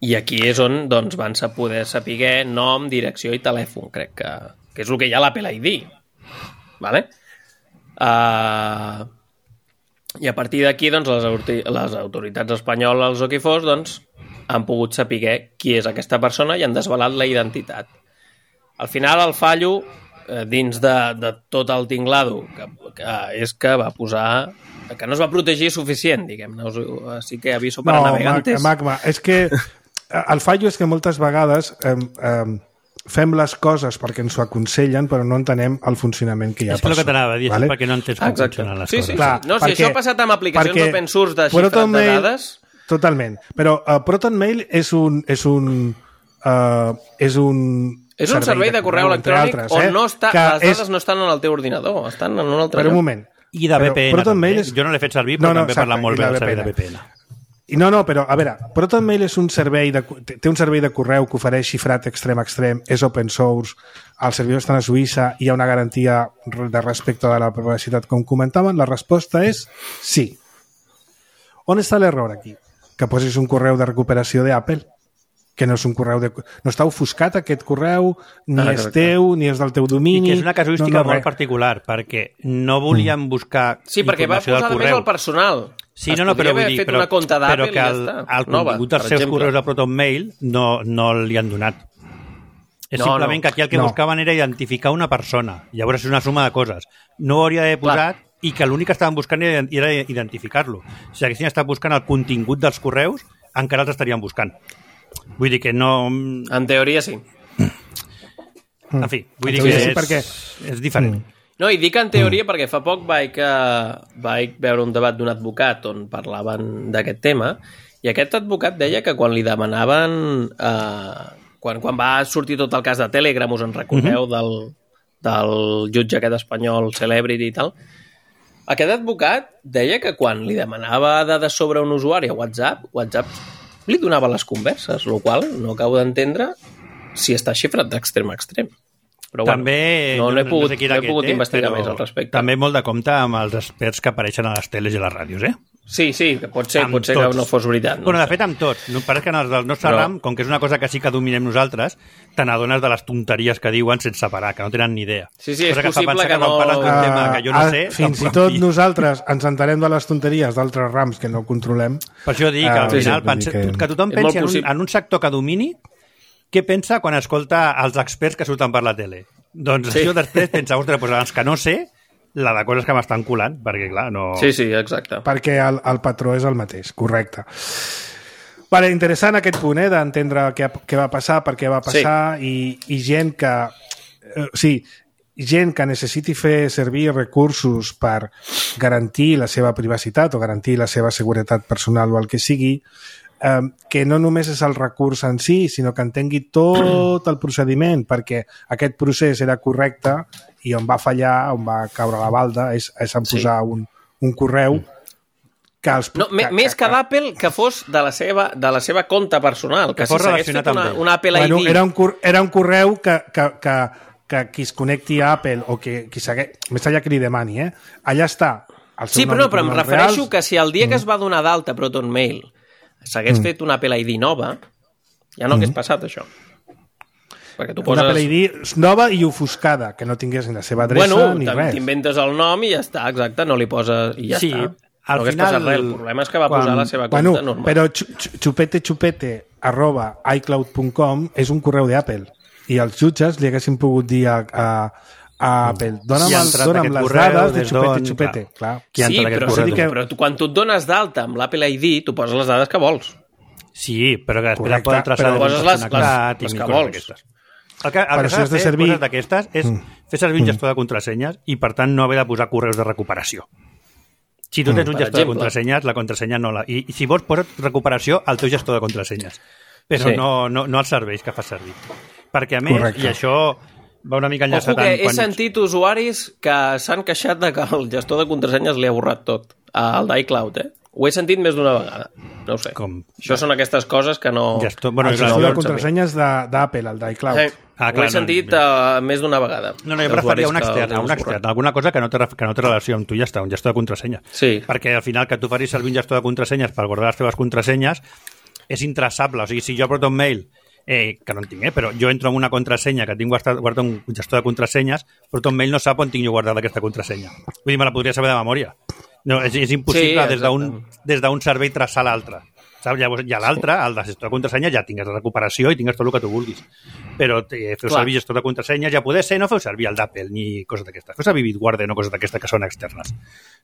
I aquí és on doncs, van poder saber nom, direcció i telèfon, crec que, que és el que hi ha a l'Apple I D. Vale? Uh, I a partir d'aquí doncs, les, les autoritats espanyoles o qui fos doncs, han pogut saber qui és aquesta persona i han desvelat la identitat. Al final el fallo eh, dins de, de tot el tinglado que, que és que va posar que no es va protegir suficient, diguem-ne. Així que aviso per No, a navegantes. Magma, és que el fallo és que moltes vegades eh, eh, fem les coses perquè ens ho aconsellen però no entenem el funcionament que hi ha És que el que t'anava a dir, vale? és perquè no entens com Exacte. funcionen les Sí, coses. sí, Clar, sí. No, si perquè- això ha passat amb aplicacions perquè open source de xifrat de ProtonMail- dades... Totalment. Però uh, ProtonMail és un... És un, uh, és un És un servei de correu entre electrònic altres, on eh? no està, que les dades és... no estan en el teu ordinador, estan en un altre Per un lloc. moment. I de V P N. Però ProtonMail també. és- Jo no l'he fet servir, però No, no, també exacte, parla molt i bé la del servei de V V P P N. N. I no, no, però, a veure, ProtonMail és un servei de, té un servei de correu que ofereix xifrat extrem a extrem, és open source, els servidors estan a Suïssa, hi ha una garantia de respecte de la privacitat, com comentaven, la resposta és sí. On està l'error aquí? Que posis un correu de recuperació d'Apple, que no és un correu de... No està ofuscat aquest correu, ni Ah, és correcte. teu, ni és del teu I domini... que és una casuística no, no, molt res. particular, perquè no volíem buscar Sí, perquè va informació posar del només correu. el personal. Sí, Es no, no, podria però vull haver dir, fet però, una compte però d'Apple que i ja el, està. el Nova, contingut dels per seus exemple. correus de ProtonMail no, no li han donat. És No, simplement no. que aquí el que No. buscaven era identificar una persona. Llavors és una suma de coses. No ho hauria d'haver posat i que l'únic que estaven buscant era, era identificar-lo. Si haguessin estat buscant el contingut dels correus, encara els estarien buscant. Vull dir que no... En teoria sí. En fi, vull En dir que teoria sí, és, perquè- és diferent. No, i dic en teoria perquè fa poc vaig, uh, vaig veure un debat d'un advocat on parlaven d'aquest tema i aquest advocat deia que quan li demanaven... Uh, quan, quan va sortir tot el cas de Telegram, us en recordeu, del, del jutge aquest espanyol, Celebrity i tal, aquest advocat deia que quan li demanava dades sobre un usuari a WhatsApp, WhatsApp li donava les converses, el qual no acabo d'entendre si està xifrat d'extrem a extrem. Però bueno, també, no, no he pogut, sé qui no era he pogut aquest, eh, investigar però més al respecte. També molt de compte amb els experts que apareixen a les teles i a les ràdios, eh? Sí, sí, que pot ser, Amb pot ser tots. que no fos veritat. No bueno, de sé. fet, amb tots. No, pareix que en els del nostre Però- ram, com que és una cosa que sí que dominem nosaltres, te n'adones de les tonteries que diuen sense parar, que no tenen ni idea. Sí, sí, és cosa que fa possible pensar que quan no- parles d'un tema que jo no Ah, sé... fins i tampoc tot em fi. nosaltres ens entenem de les tonteries d'altres rams que no controlem. Per això dic que Ah, al sí, final sí, vull pense, dir que- que tothom És pensi molt en un, possible. en un sector que domini, què pensa quan escolta els experts que surten per la tele? Doncs Sí. això després pensa, ostres, doncs els que no sé, la de coses que m'estan colant, perquè clar, no... Sí, sí, exacte. Perquè el, el patró és el mateix, correcte. Vale, interessant aquest punt, eh, d'entendre què, què va passar, per què va passar, sí. i, i gent que... Eh, sí, gent que necessiti fer servir recursos per garantir la seva privacitat o garantir la seva seguretat personal o el que sigui, eh, que no només és el recurs en si, sinó que entengui tot el procediment, perquè aquest procés era correcte i on va fallar, on va caure la balda, és, és en posar sí. un, un correu que els... No, que, més que, que d'Apple, que fos de la seva, de la seva compte personal, que, Que fos si s'hagués relacionat fet una, amb ell. una Apple bueno, I D... era, un, cor- era un correu que, que, que, que qui es connecti a Apple o que qui segueix, més allà que li demani, eh? Allà està el seu Sí, nom però no, i però em cognoms refereixo reals. que si el dia que es va donar d'alta Proton Mail s'hagués mm. fet una Apple I D nova, ja no hagués passat això. Perquè tu Una poses... Apple I D nova i ofuscada, que no tingués ni la seva adreça Bueno, ni t'in- res. t'inventes el nom i ja està, exacte, no li poses... I ja Sí, està. al no hagués final, passat res. El problema és que va quan- posar la seva compte Bueno, normal. però xu- xu- xupete xupete arroba iCloud punt com és un correu d'Apple i els jutges li haguessin pogut dir a, a, a Apple dona'm, Qui ha el, entrat dona'm aquest les correu, dades de des xupete d'on, xupete. clar. Clar. Qui ha Sí, entrat aquest però, correu? que- però tu, quan tu et dones d'alta amb l'Apple I D, tu poses les dades que vols. Sí, però que després Correcte, el poden traçar però de poses dins les- connectat les- i les mil que coses vols. d'aquestes. El que, el Però que si s'ha has de de fer, servir- coses d'aquestes, és fer servir un gestor de contrasenyes i, per tant, no haver de posar correus de recuperació. Si tu tens un Per gestor de exemple. contrasenyes, la contrasenya no la... I, i si vols, posa't recuperació al teu gestor de contrasenyes. Però Sí. no, no, no als serveis que fas servir. Perquè, a més, Correcte. i això va una mica Ojo enllaçat que amb he sentit usuaris que s'han queixat de que el gestor de contrasenyes li ha borrat tot, al d'iCloud, eh? Ho he sentit més d'una vegada. No ho sé. Com? Això són aquestes coses que no... Gestor, bueno, El clar, gestor no, de no, contrasenyes de- d'Apple, el d'iCloud. Eh, Ah, ho clar, he sentit no, uh, més d'una vegada. No, no, jo Dels preferia un usuaris que extern, els un heu extern, borrat. alguna cosa que no té, ref- que no té relació amb tu, ja està, un gestor de contrasenyes. Sí. Perquè al final que tu facis servir un gestor de contrasenyes per guardar les teves contrasenyes és intraçable. O sigui, si jo porto un mail, eh, que no en tinc, eh, però jo entro en una contrasenya que tinc guardat, guardat un gestor de contrasenyes, però un mail no sap on tinc jo guardada aquesta contrasenya. Vull dir, me la podria saber de memòria. No, és, és impossible Sí, des d'un exacte. des d'un servei traçar l'altre. Saps? Llavors, ja l'altre, el de gestor de contrasenyes, ja tingues la recuperació i tingues tot el que tu vulguis. Però eh, feu Clar. servir gestor de contrasenyes, ja poder ser, no feu servir el d'Apple ni coses d'aquestes. Feu servir Bitwarden o coses d'aquestes que són externes.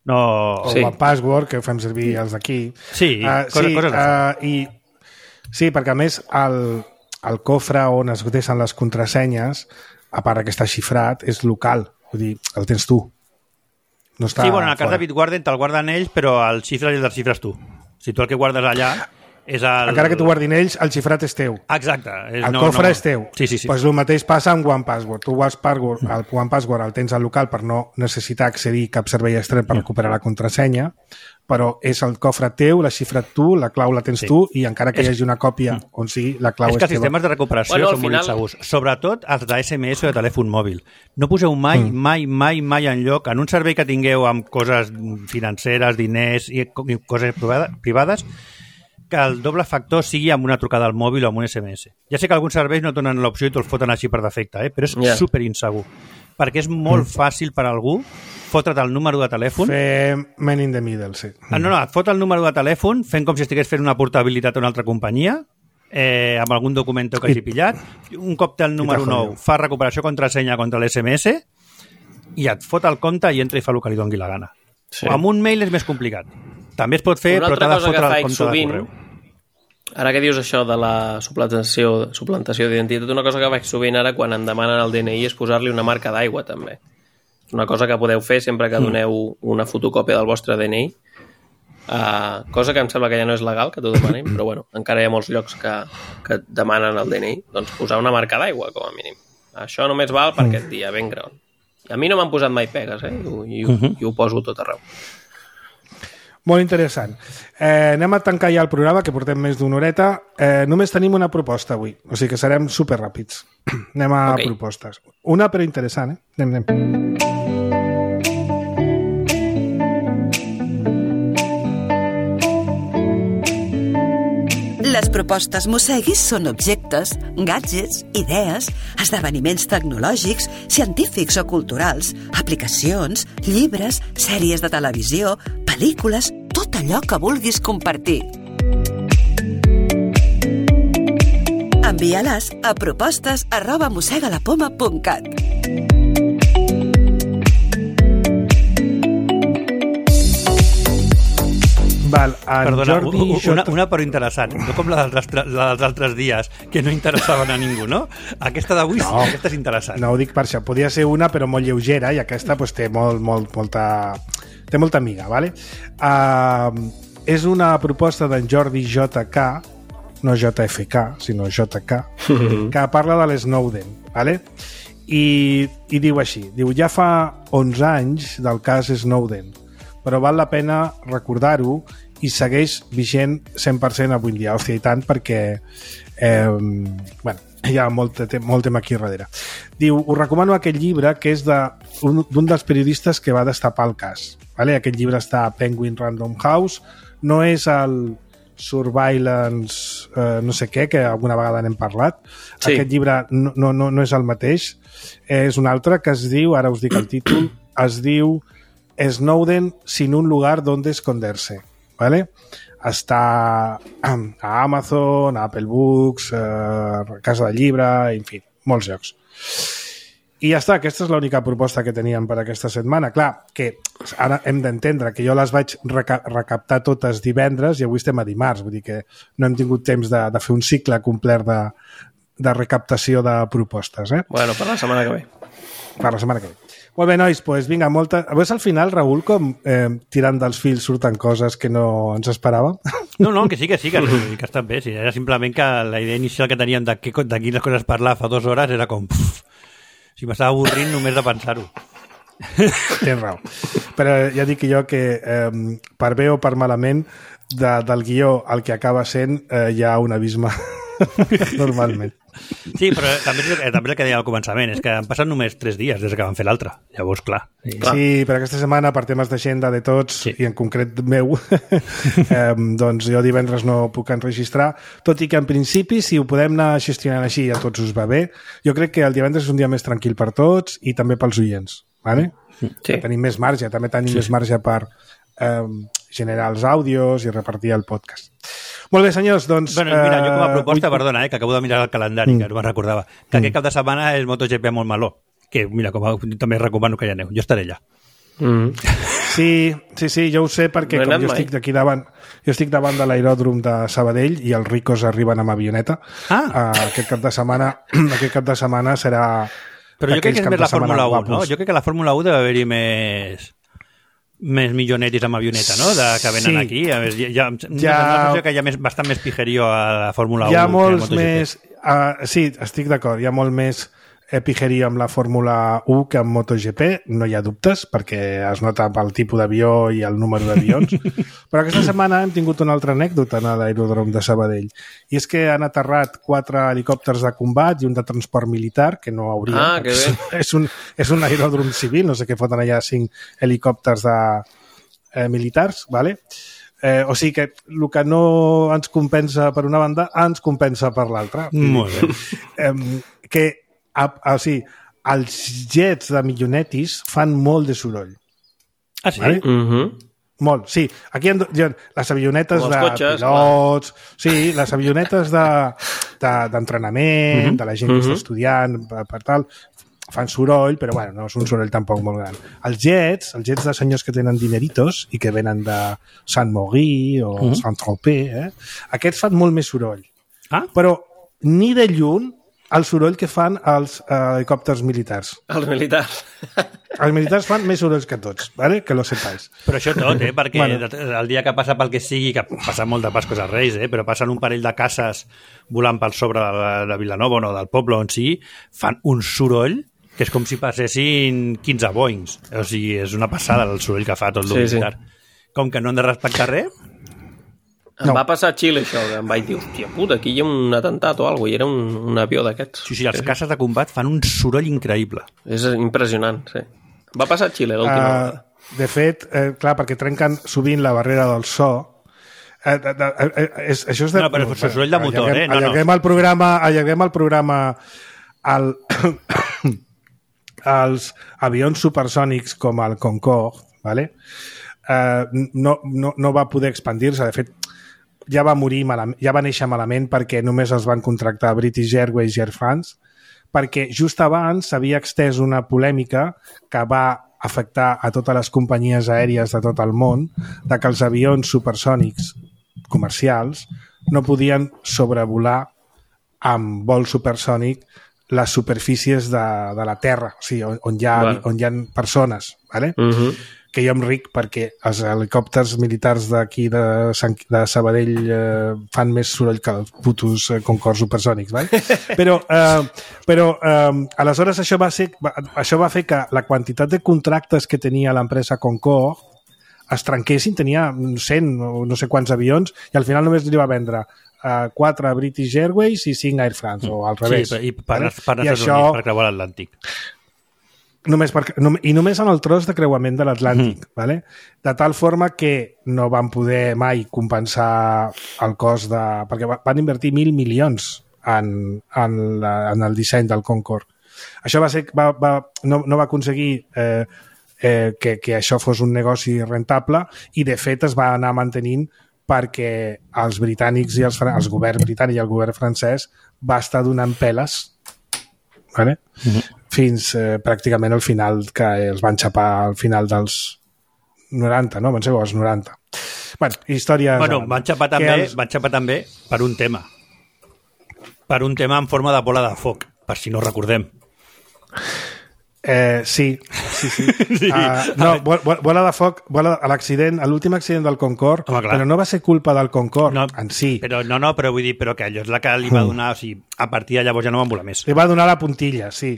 No... O Sí. el password, que fem servir els d'aquí. Sí, Ah, coses, sí, coses de uh, i, sí, perquè a més el, el cofre on es deixen les contrasenyes, a part que està xifrat, és local. Vull dir, el tens tu. No està Sí, bueno, en el cas fora. de Bitwarden te'l guarden ells, però el xifres i el desxifres tu. Si tu el que guardes allà és el... Encara que t'ho guardin ells, el xifrat és teu. Exacte. És, El no, cofre no. és teu. Sí, sí, sí. Pues el mateix passa amb OnePassword. Tu OnePassword, el OnePassword el tens al local per no necessitar accedir a cap servei extern per recuperar la contrasenya, però és el cofre teu, la xifra tu, la clau la tens Sí. tu i encara que hi hagi una còpia on sigui, la clau És és, que els teva. sistemes de recuperació Bueno, al són molt final- insegurs. Sobretot els de esse eme esse o de telèfon mòbil. No poseu mai, mm. mai, mai, mai en lloc en un servei que tingueu amb coses financeres, diners i, i coses privada- privades que el doble factor sigui amb una trucada al mòbil o amb un esse eme esse. Ja sé que alguns serveis no donen l'opció i te'ls foten així per defecte, eh? Però és Ja. super insegur. Perquè és molt fàcil per a algú fotre't el número de telèfon. Fer man in the middle, sí. Ah, no, no, et fot el número de telèfon fent com si estigués fent una portabilitat a una altra companyia, eh, amb algun document que hagi pillat. Un cop té el número t'ha nou, jodido. fa recuperació contrasenya contra l'esse eme esse i et fot el compte i entra i fa el que li doni la gana. Sí. Amb un mail és més complicat. També es pot fer, Una però altra t'ha de cosa que fotre el faig compte sovint, de correu. ara que dius això de la suplantació, suplantació d'identitat, una cosa que faig sovint ara quan em demanen el de ene i és posar-li una marca d'aigua, també. És una cosa que podeu fer sempre que doneu una fotocòpia del vostre de ene i, uh, cosa que em sembla que ja no és legal, que t'ho demanin, però bueno, encara hi ha molts llocs que, que et demanen el de ene i, doncs posar una marca d'aigua, com a mínim. Això només val per aquest dia, ben gran. A mi no m'han posat mai pegues, eh? I, ho- i, ho- i ho poso tot arreu. Molt interessant. Eh, anem a tancar ja el programa, que portem més d'una horeta. Eh, només tenim una proposta avui, o sigui que serem superràpids. Anem a Ok. propostes. Una, però interessant, eh? Anem, anem. les propostes Mosseguis són objectes, gadgets, idees, esdeveniments tecnològics, científics o culturals, aplicacions, llibres, sèries de televisió, pel·lícules, tot allò que vulguis compartir. Envia-les a propostes arroba mossegalapoma punt cat. Val, en Perdona, Jordi una, Jota... una però interessant, no com la dels, altres, la dels altres dies, que no interessaven a ningú, no? Aquesta d'avui no. Sí, aquesta és interessant. No ho dic per això, podia ser una però molt lleugera i aquesta pues, té, molt, molt, molta, té molta amiga, ¿vale? Uh, és una proposta d'en Jordi J K, no J F K, sinó J K, que parla de l'Snowden, ¿vale? I, i diu així, diu, ja fa onze anys del cas Snowden, però val la pena recordar-ho i segueix vigent cent per cent avui dia. Hòstia, i tant, perquè eh, bueno, hi ha molt, molt tema aquí darrere. Diu, us recomano aquest llibre que és d'un de, dels periodistes que va destapar el cas. Vale? Aquest llibre està a Penguin Random House. No és el Surveillance eh, no sé què, que alguna vegada n'hem parlat. Sí. Aquest llibre no, no, no és el mateix. És un altre que es diu, ara us dic el títol, es diu Snowden sin un lugar donde esconderse, ¿vale? Està a Amazon, a Apple Books, a Casa del Llibre, en fi, molts llocs. I ja està, aquesta és l'única proposta que teníem per aquesta setmana. Clar, que ara hem d'entendre que jo les vaig reca recaptar totes divendres i avui estem a dimarts, vull dir que no hem tingut temps de, de fer un cicle complet de, de recaptació de propostes. Eh? Bueno, per la setmana que ve. Per la setmana que ve. Molt bé, nois, doncs vinga, molta... Veus al final, Raül, com eh, tirant dels fils surten coses que no ens esperàvem? No, no, que sí, que sí, que, que està bé. Sí, era simplement que la idea inicial que teníem de, que, de quines coses parlar fa dues hores era com... Pff, si m'estava avorrint només de pensar-ho. Tens raó. Però ja dic jo que eh, per bé o per malament de, del guió al que acaba sent eh, hi ha un abisme normalment. Sí, però també, també el que deia al començament és que han passat només tres dies des que van fer l'altre. Llavors, clar. Sí, clar. Sí, però aquesta setmana, per temes d'agenda de tots, sí. I en concret meu, eh, doncs jo divendres no puc enregistrar, tot i que en principi, si ho podem anar gestionant així i a tots us va bé, jo crec que el divendres és un dia més tranquil per tots i també pels oients, ¿vale? Sí. Tenim més marge, també tenim sí. més marge per eh, generar els àudios i repartir el podcast. Molt bé, senyors, doncs... Bueno, mira, jo com a proposta, uh, perdona, eh, que acabo de mirar el calendari, mm. que no me'n recordava, que mm. aquest cap de setmana és MotoGP a Montmeló, que, mira, com a, també recomano que hi aneu. Jo estaré allà. Mm. Sí, sí, sí, jo ho sé perquè no com jo mai. estic d'aquí davant, jo estic davant de l'aeròdrom de Sabadell i els ricos arriben amb avioneta. Ah. Uh, aquest cap de setmana, aquest cap de setmana serà... Però jo crec que és més la Fórmula u, no? Jo crec que la Fórmula u deve haver-hi més... més millonetis amb avioneta, no? De, que venen sí. aquí. A veure, ja, ja, no sé que hi ha més, bastant més pijerío a la Fórmula u. Hi ha molts més... Uh, sí, estic d'acord. Hi ha molt més eh, pijerío amb la Fórmula u que amb MotoGP. No hi ha dubtes, perquè es nota pel tipus d'avió i el número d'avions. Però aquesta setmana hem tingut una altra anècdota a l'aeròdrom de Sabadell. I és que han aterrat quatre helicòpters de combat i un de transport militar, que no hauria... Ah, que bé. És un, és un aeròdrom civil, no sé què foten allà cinc helicòpters de, eh, militars, ¿vale? Eh, o sigui que el que no ens compensa per una banda, ens compensa per l'altra. Molt bé. Eh, que, a, a, o sigui, els jets de millonetis fan molt de soroll. Ah, sí? Vale? Mhm. Molt, sí. Aquí hi ha les avionetes de cotxes, pilots, clar. Sí, les avionetes d'entrenament, de, de, mm-hmm. de la gent que mm-hmm. està estudiant, per, per tal, fan soroll, però bueno, no és un soroll tampoc molt gran. Els jets, els jets de senyors que tenen dineritos i que venen de Saint-Maurice o mm-hmm. Saint-Tropez, eh? Aquests fan molt més soroll. Ah? Però ni de lluny el soroll que fan els uh, helicòpters militars. Els militars. Els militars fan més sorolls que tots, ¿vale? Que lo sepáis. Però això tot, eh? Perquè bueno. El dia que passa pel que sigui, que passa molt de Pascos als Reis, eh? Però passen un parell de cases volant pel sobre de, de Vilanova o no, del poble on sigui, fan un soroll que és com si passessin quinze Boeings. O sigui, és una passada el soroll que fa tot el sí, militar. Sí. Com que no han de respectar res... Em no. va passar a Xile, això, que em vaig dir, hòstia puta, aquí hi ha un atemptat o alguna cosa, i era un, un avió d'aquests. Sí, sí, els caces de combat fan un soroll increïble. És impressionant, sí. Va passar a Xile l'última uh, vegada. De fet, eh, clar, perquè trenquen sovint la barrera del so, Eh, de, de, eh, és, això és de... No, però és soroll de motor, allarguem, eh? No, no. Allarguem el programa, allarguem el programa al, als avions supersònics com el Concorde, ¿vale? eh, no, no, no va poder expandir-se. De fet, ja va morir malament, ja va néixer malament perquè només els van contractar British Airways i Air France, perquè just abans s'havia extès una polèmica que va afectar a totes les companyies aèries de tot el món, de que els avions supersònics comercials no podien sobrevolar amb vol supersònic les superfícies de, de la Terra, o sigui, on, on, hi ha, bueno. on hi ha persones, ¿vale? Uh-huh. Que jo em ric perquè els helicòpters militars d'aquí de, Sant, de Sabadell eh, fan més soroll que els putos eh, Concorde supersònics, ¿vale? Però, eh, però eh, aleshores això va, ser, va, això va fer que la quantitat de contractes que tenia l'empresa Concorde es trenquessin, tenia cent o no sé quants avions i al final només li va vendre uh, quatre British Airways i cinc Air France, o al revés. Sí, i per, vale? per anar als Estats Units per creuar l'Atlàntic. Només per, I només en el tros de creuament de l'Atlàntic, mm. ¿vale? De tal forma que no van poder mai compensar el cost de... perquè van invertir mil milions en, en, la, en el disseny del Concorde. Això va ser, va, va, no, no va aconseguir eh, eh, que, que això fos un negoci rentable i de fet es va anar mantenint perquè els britànics i els, els govern britànic i el govern francès va estar donant peles, ¿vale? Mm-hmm. fins eh, pràcticament al final, que els van xapar al final dels noranta, no? Van ser els noranta. Bueno, històries... Bueno, van xapar també, els... van xapar també per un tema. Per un tema en forma de bola de foc, per si no recordem. Eh, sí, sí, sí. sí. Uh, no, bola de foc, bola, l'accident, l'últim accident del Concorde, home, però no va ser culpa del Concorde no, en si. Però, no, no, però vull dir, però que allò és la que li va donar, o sigui, a partir de llavors ja no van volar més. Li va donar la puntilla, sí.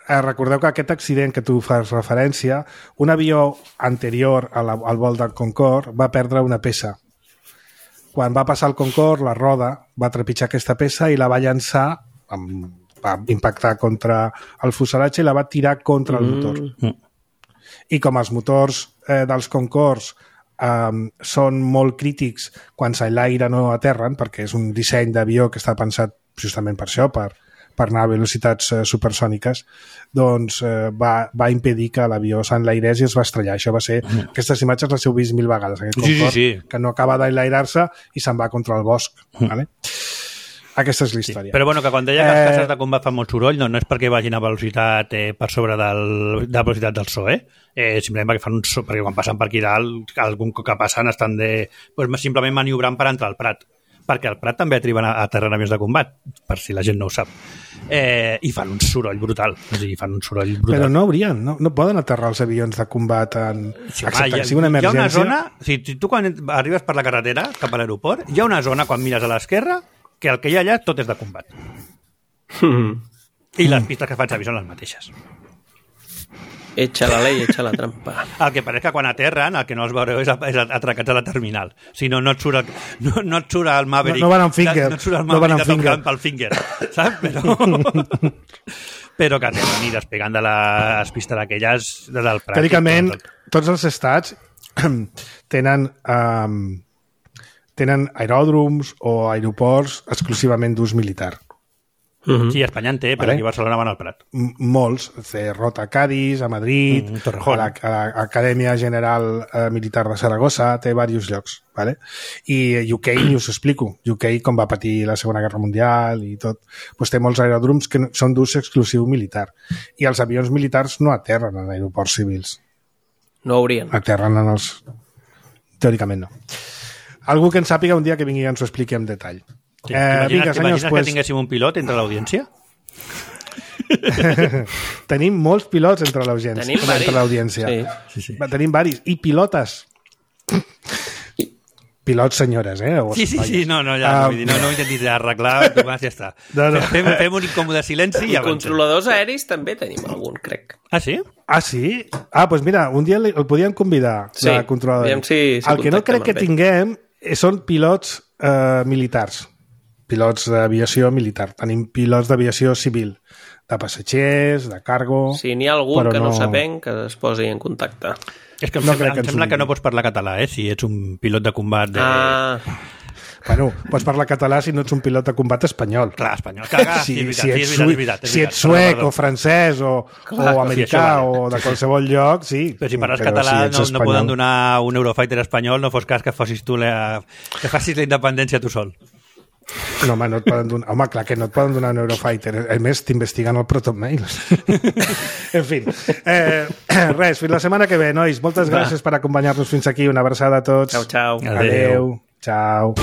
Eh, recordeu que aquest accident que tu fas referència, un avió anterior a la, al vol del Concorde va perdre una peça. Quan va passar el Concorde, la roda va trepitjar aquesta peça i la va llançar amb va impactar contra el fuselatge i la va tirar contra el motor. Mm. I com els motors eh, dels Concords eh, són molt crítics quan s'enlaire no aterren, perquè és un disseny d'avió que està pensat justament per això, per, per anar a velocitats eh, supersòniques, doncs eh, va, va impedir que l'avió s'enlairés i es va estrellar. Això va ser... Mm. Aquestes imatges les heu vist mil vegades, aquest Concorde, sí, sí, sí. que no acaba d'enlairar-se i se'n va contra el bosc. Mm. Vale? Aquesta és la història. Sí, però bueno, que quan deia que els caces de combat fan molt soroll, no, no és perquè vagin a velocitat eh, per sobre del, de la velocitat del so, eh? eh simplement perquè fan un so, perquè quan passen per aquí dalt, algun cop que passen estan de, pues, simplement maniobrant per entrar al Prat. Perquè al Prat també arriben a, a terra avions de combat, per si la gent no ho sap. Eh, I fan un soroll brutal. O sigui, fan un soroll brutal. Però no haurien, no, no poden aterrar els avions de combat en... Sí, excepte que sigui una emergència. Hi ha una zona, o sigui, tu quan arribes per la carretera cap a l'aeroport, hi ha una zona, quan mires a l'esquerra, que el que hi ha allà tot és de combat. Mm. I les pistes que fan servir són les mateixes. Echa la ley, echa la trampa. El que pareix que quan aterren, el que no els veureu és, és atracats a la terminal. Si no, no et surt el, no, no et surt el Maverick. No, no van amb finger. No et surt el Maverick no de Top Gun pel finger. Saps? Però, però que aterren i despegant de les pistes aquelles del Prat. Teòricament, tots els estats tenen... Um, tenen aeròdroms o aeroports exclusivament d'ús militar. Uh-huh. Sí, Espanya en té, però vale? Aquí a Barcelona van al Prat. M molts. Rota a Cádiz, a Madrid, mm, a l'Acadèmia General eh, Militar de Saragossa, té diversos llocs. Vale? I U K, ni us explico. U K, com va patir la Segona Guerra Mundial i tot, doncs té molts aeròdroms que són d'ús exclusiu militar. I els avions militars no aterren en aeroports civils. No haurien. Aterren en els... Teòricament no. Algú que en sàpiga un dia que vingui i ens ho expliqui en detall. Sí. Eh, vinga, senyors, pues... que tinguéssim un pilot entre l'audiència? Tenim molts pilots entre l'audiència. Sí. Sí, sí. Tenim varis. I pilotes. Pilots senyores, eh? O sí, sí, sí, no, no, ja, uh, no, dir, no, no ho intentis arreglar, Tomàs, ja està. No, no. Fem, fem un incòmode silenci i, I controladors aeris també tenim algun, crec. Ah, sí? Ah, sí? Ah, doncs mira, un dia el podíem convidar, sí, la controladora. Si, si el que no crec que tinguem són pilots eh, militars, pilots d'aviació militar. Tenim pilots d'aviació civil, de passatgers, de cargo... Si n'hi ha algú però que no, no saben, que es posi en contacte. És que em No sembla, crec que em ens sembla ho que no diguin. pots parlar català, eh? Si ets un pilot de combat de... Ah, Bueno, pots parlar català si no ets un pilot de combat espanyol. Clar, espanyol. Caga, Si, sí, és si, veritat, ets, sí, és veritat, sui- és veritat, és si veritat. ets suec Perdó, perdó. o francès o, Clar, o sí, americà això vale. o de qualsevol lloc, sí. Però si parles Però català si ets no, no espanyol- poden donar un Eurofighter espanyol, no fos cas que fossis tu la, que facis la independència tu sol. No, home, no et poden donar... Home, clar que no et poden donar un Eurofighter. A més, t'investiguen el Proton Mail. En fi. Eh, res, fins la setmana que ve, nois. Moltes gràcies per acompanyar-nos fins aquí. Una abraçada a tots. Ciao, ciao. Adéu. Ciao.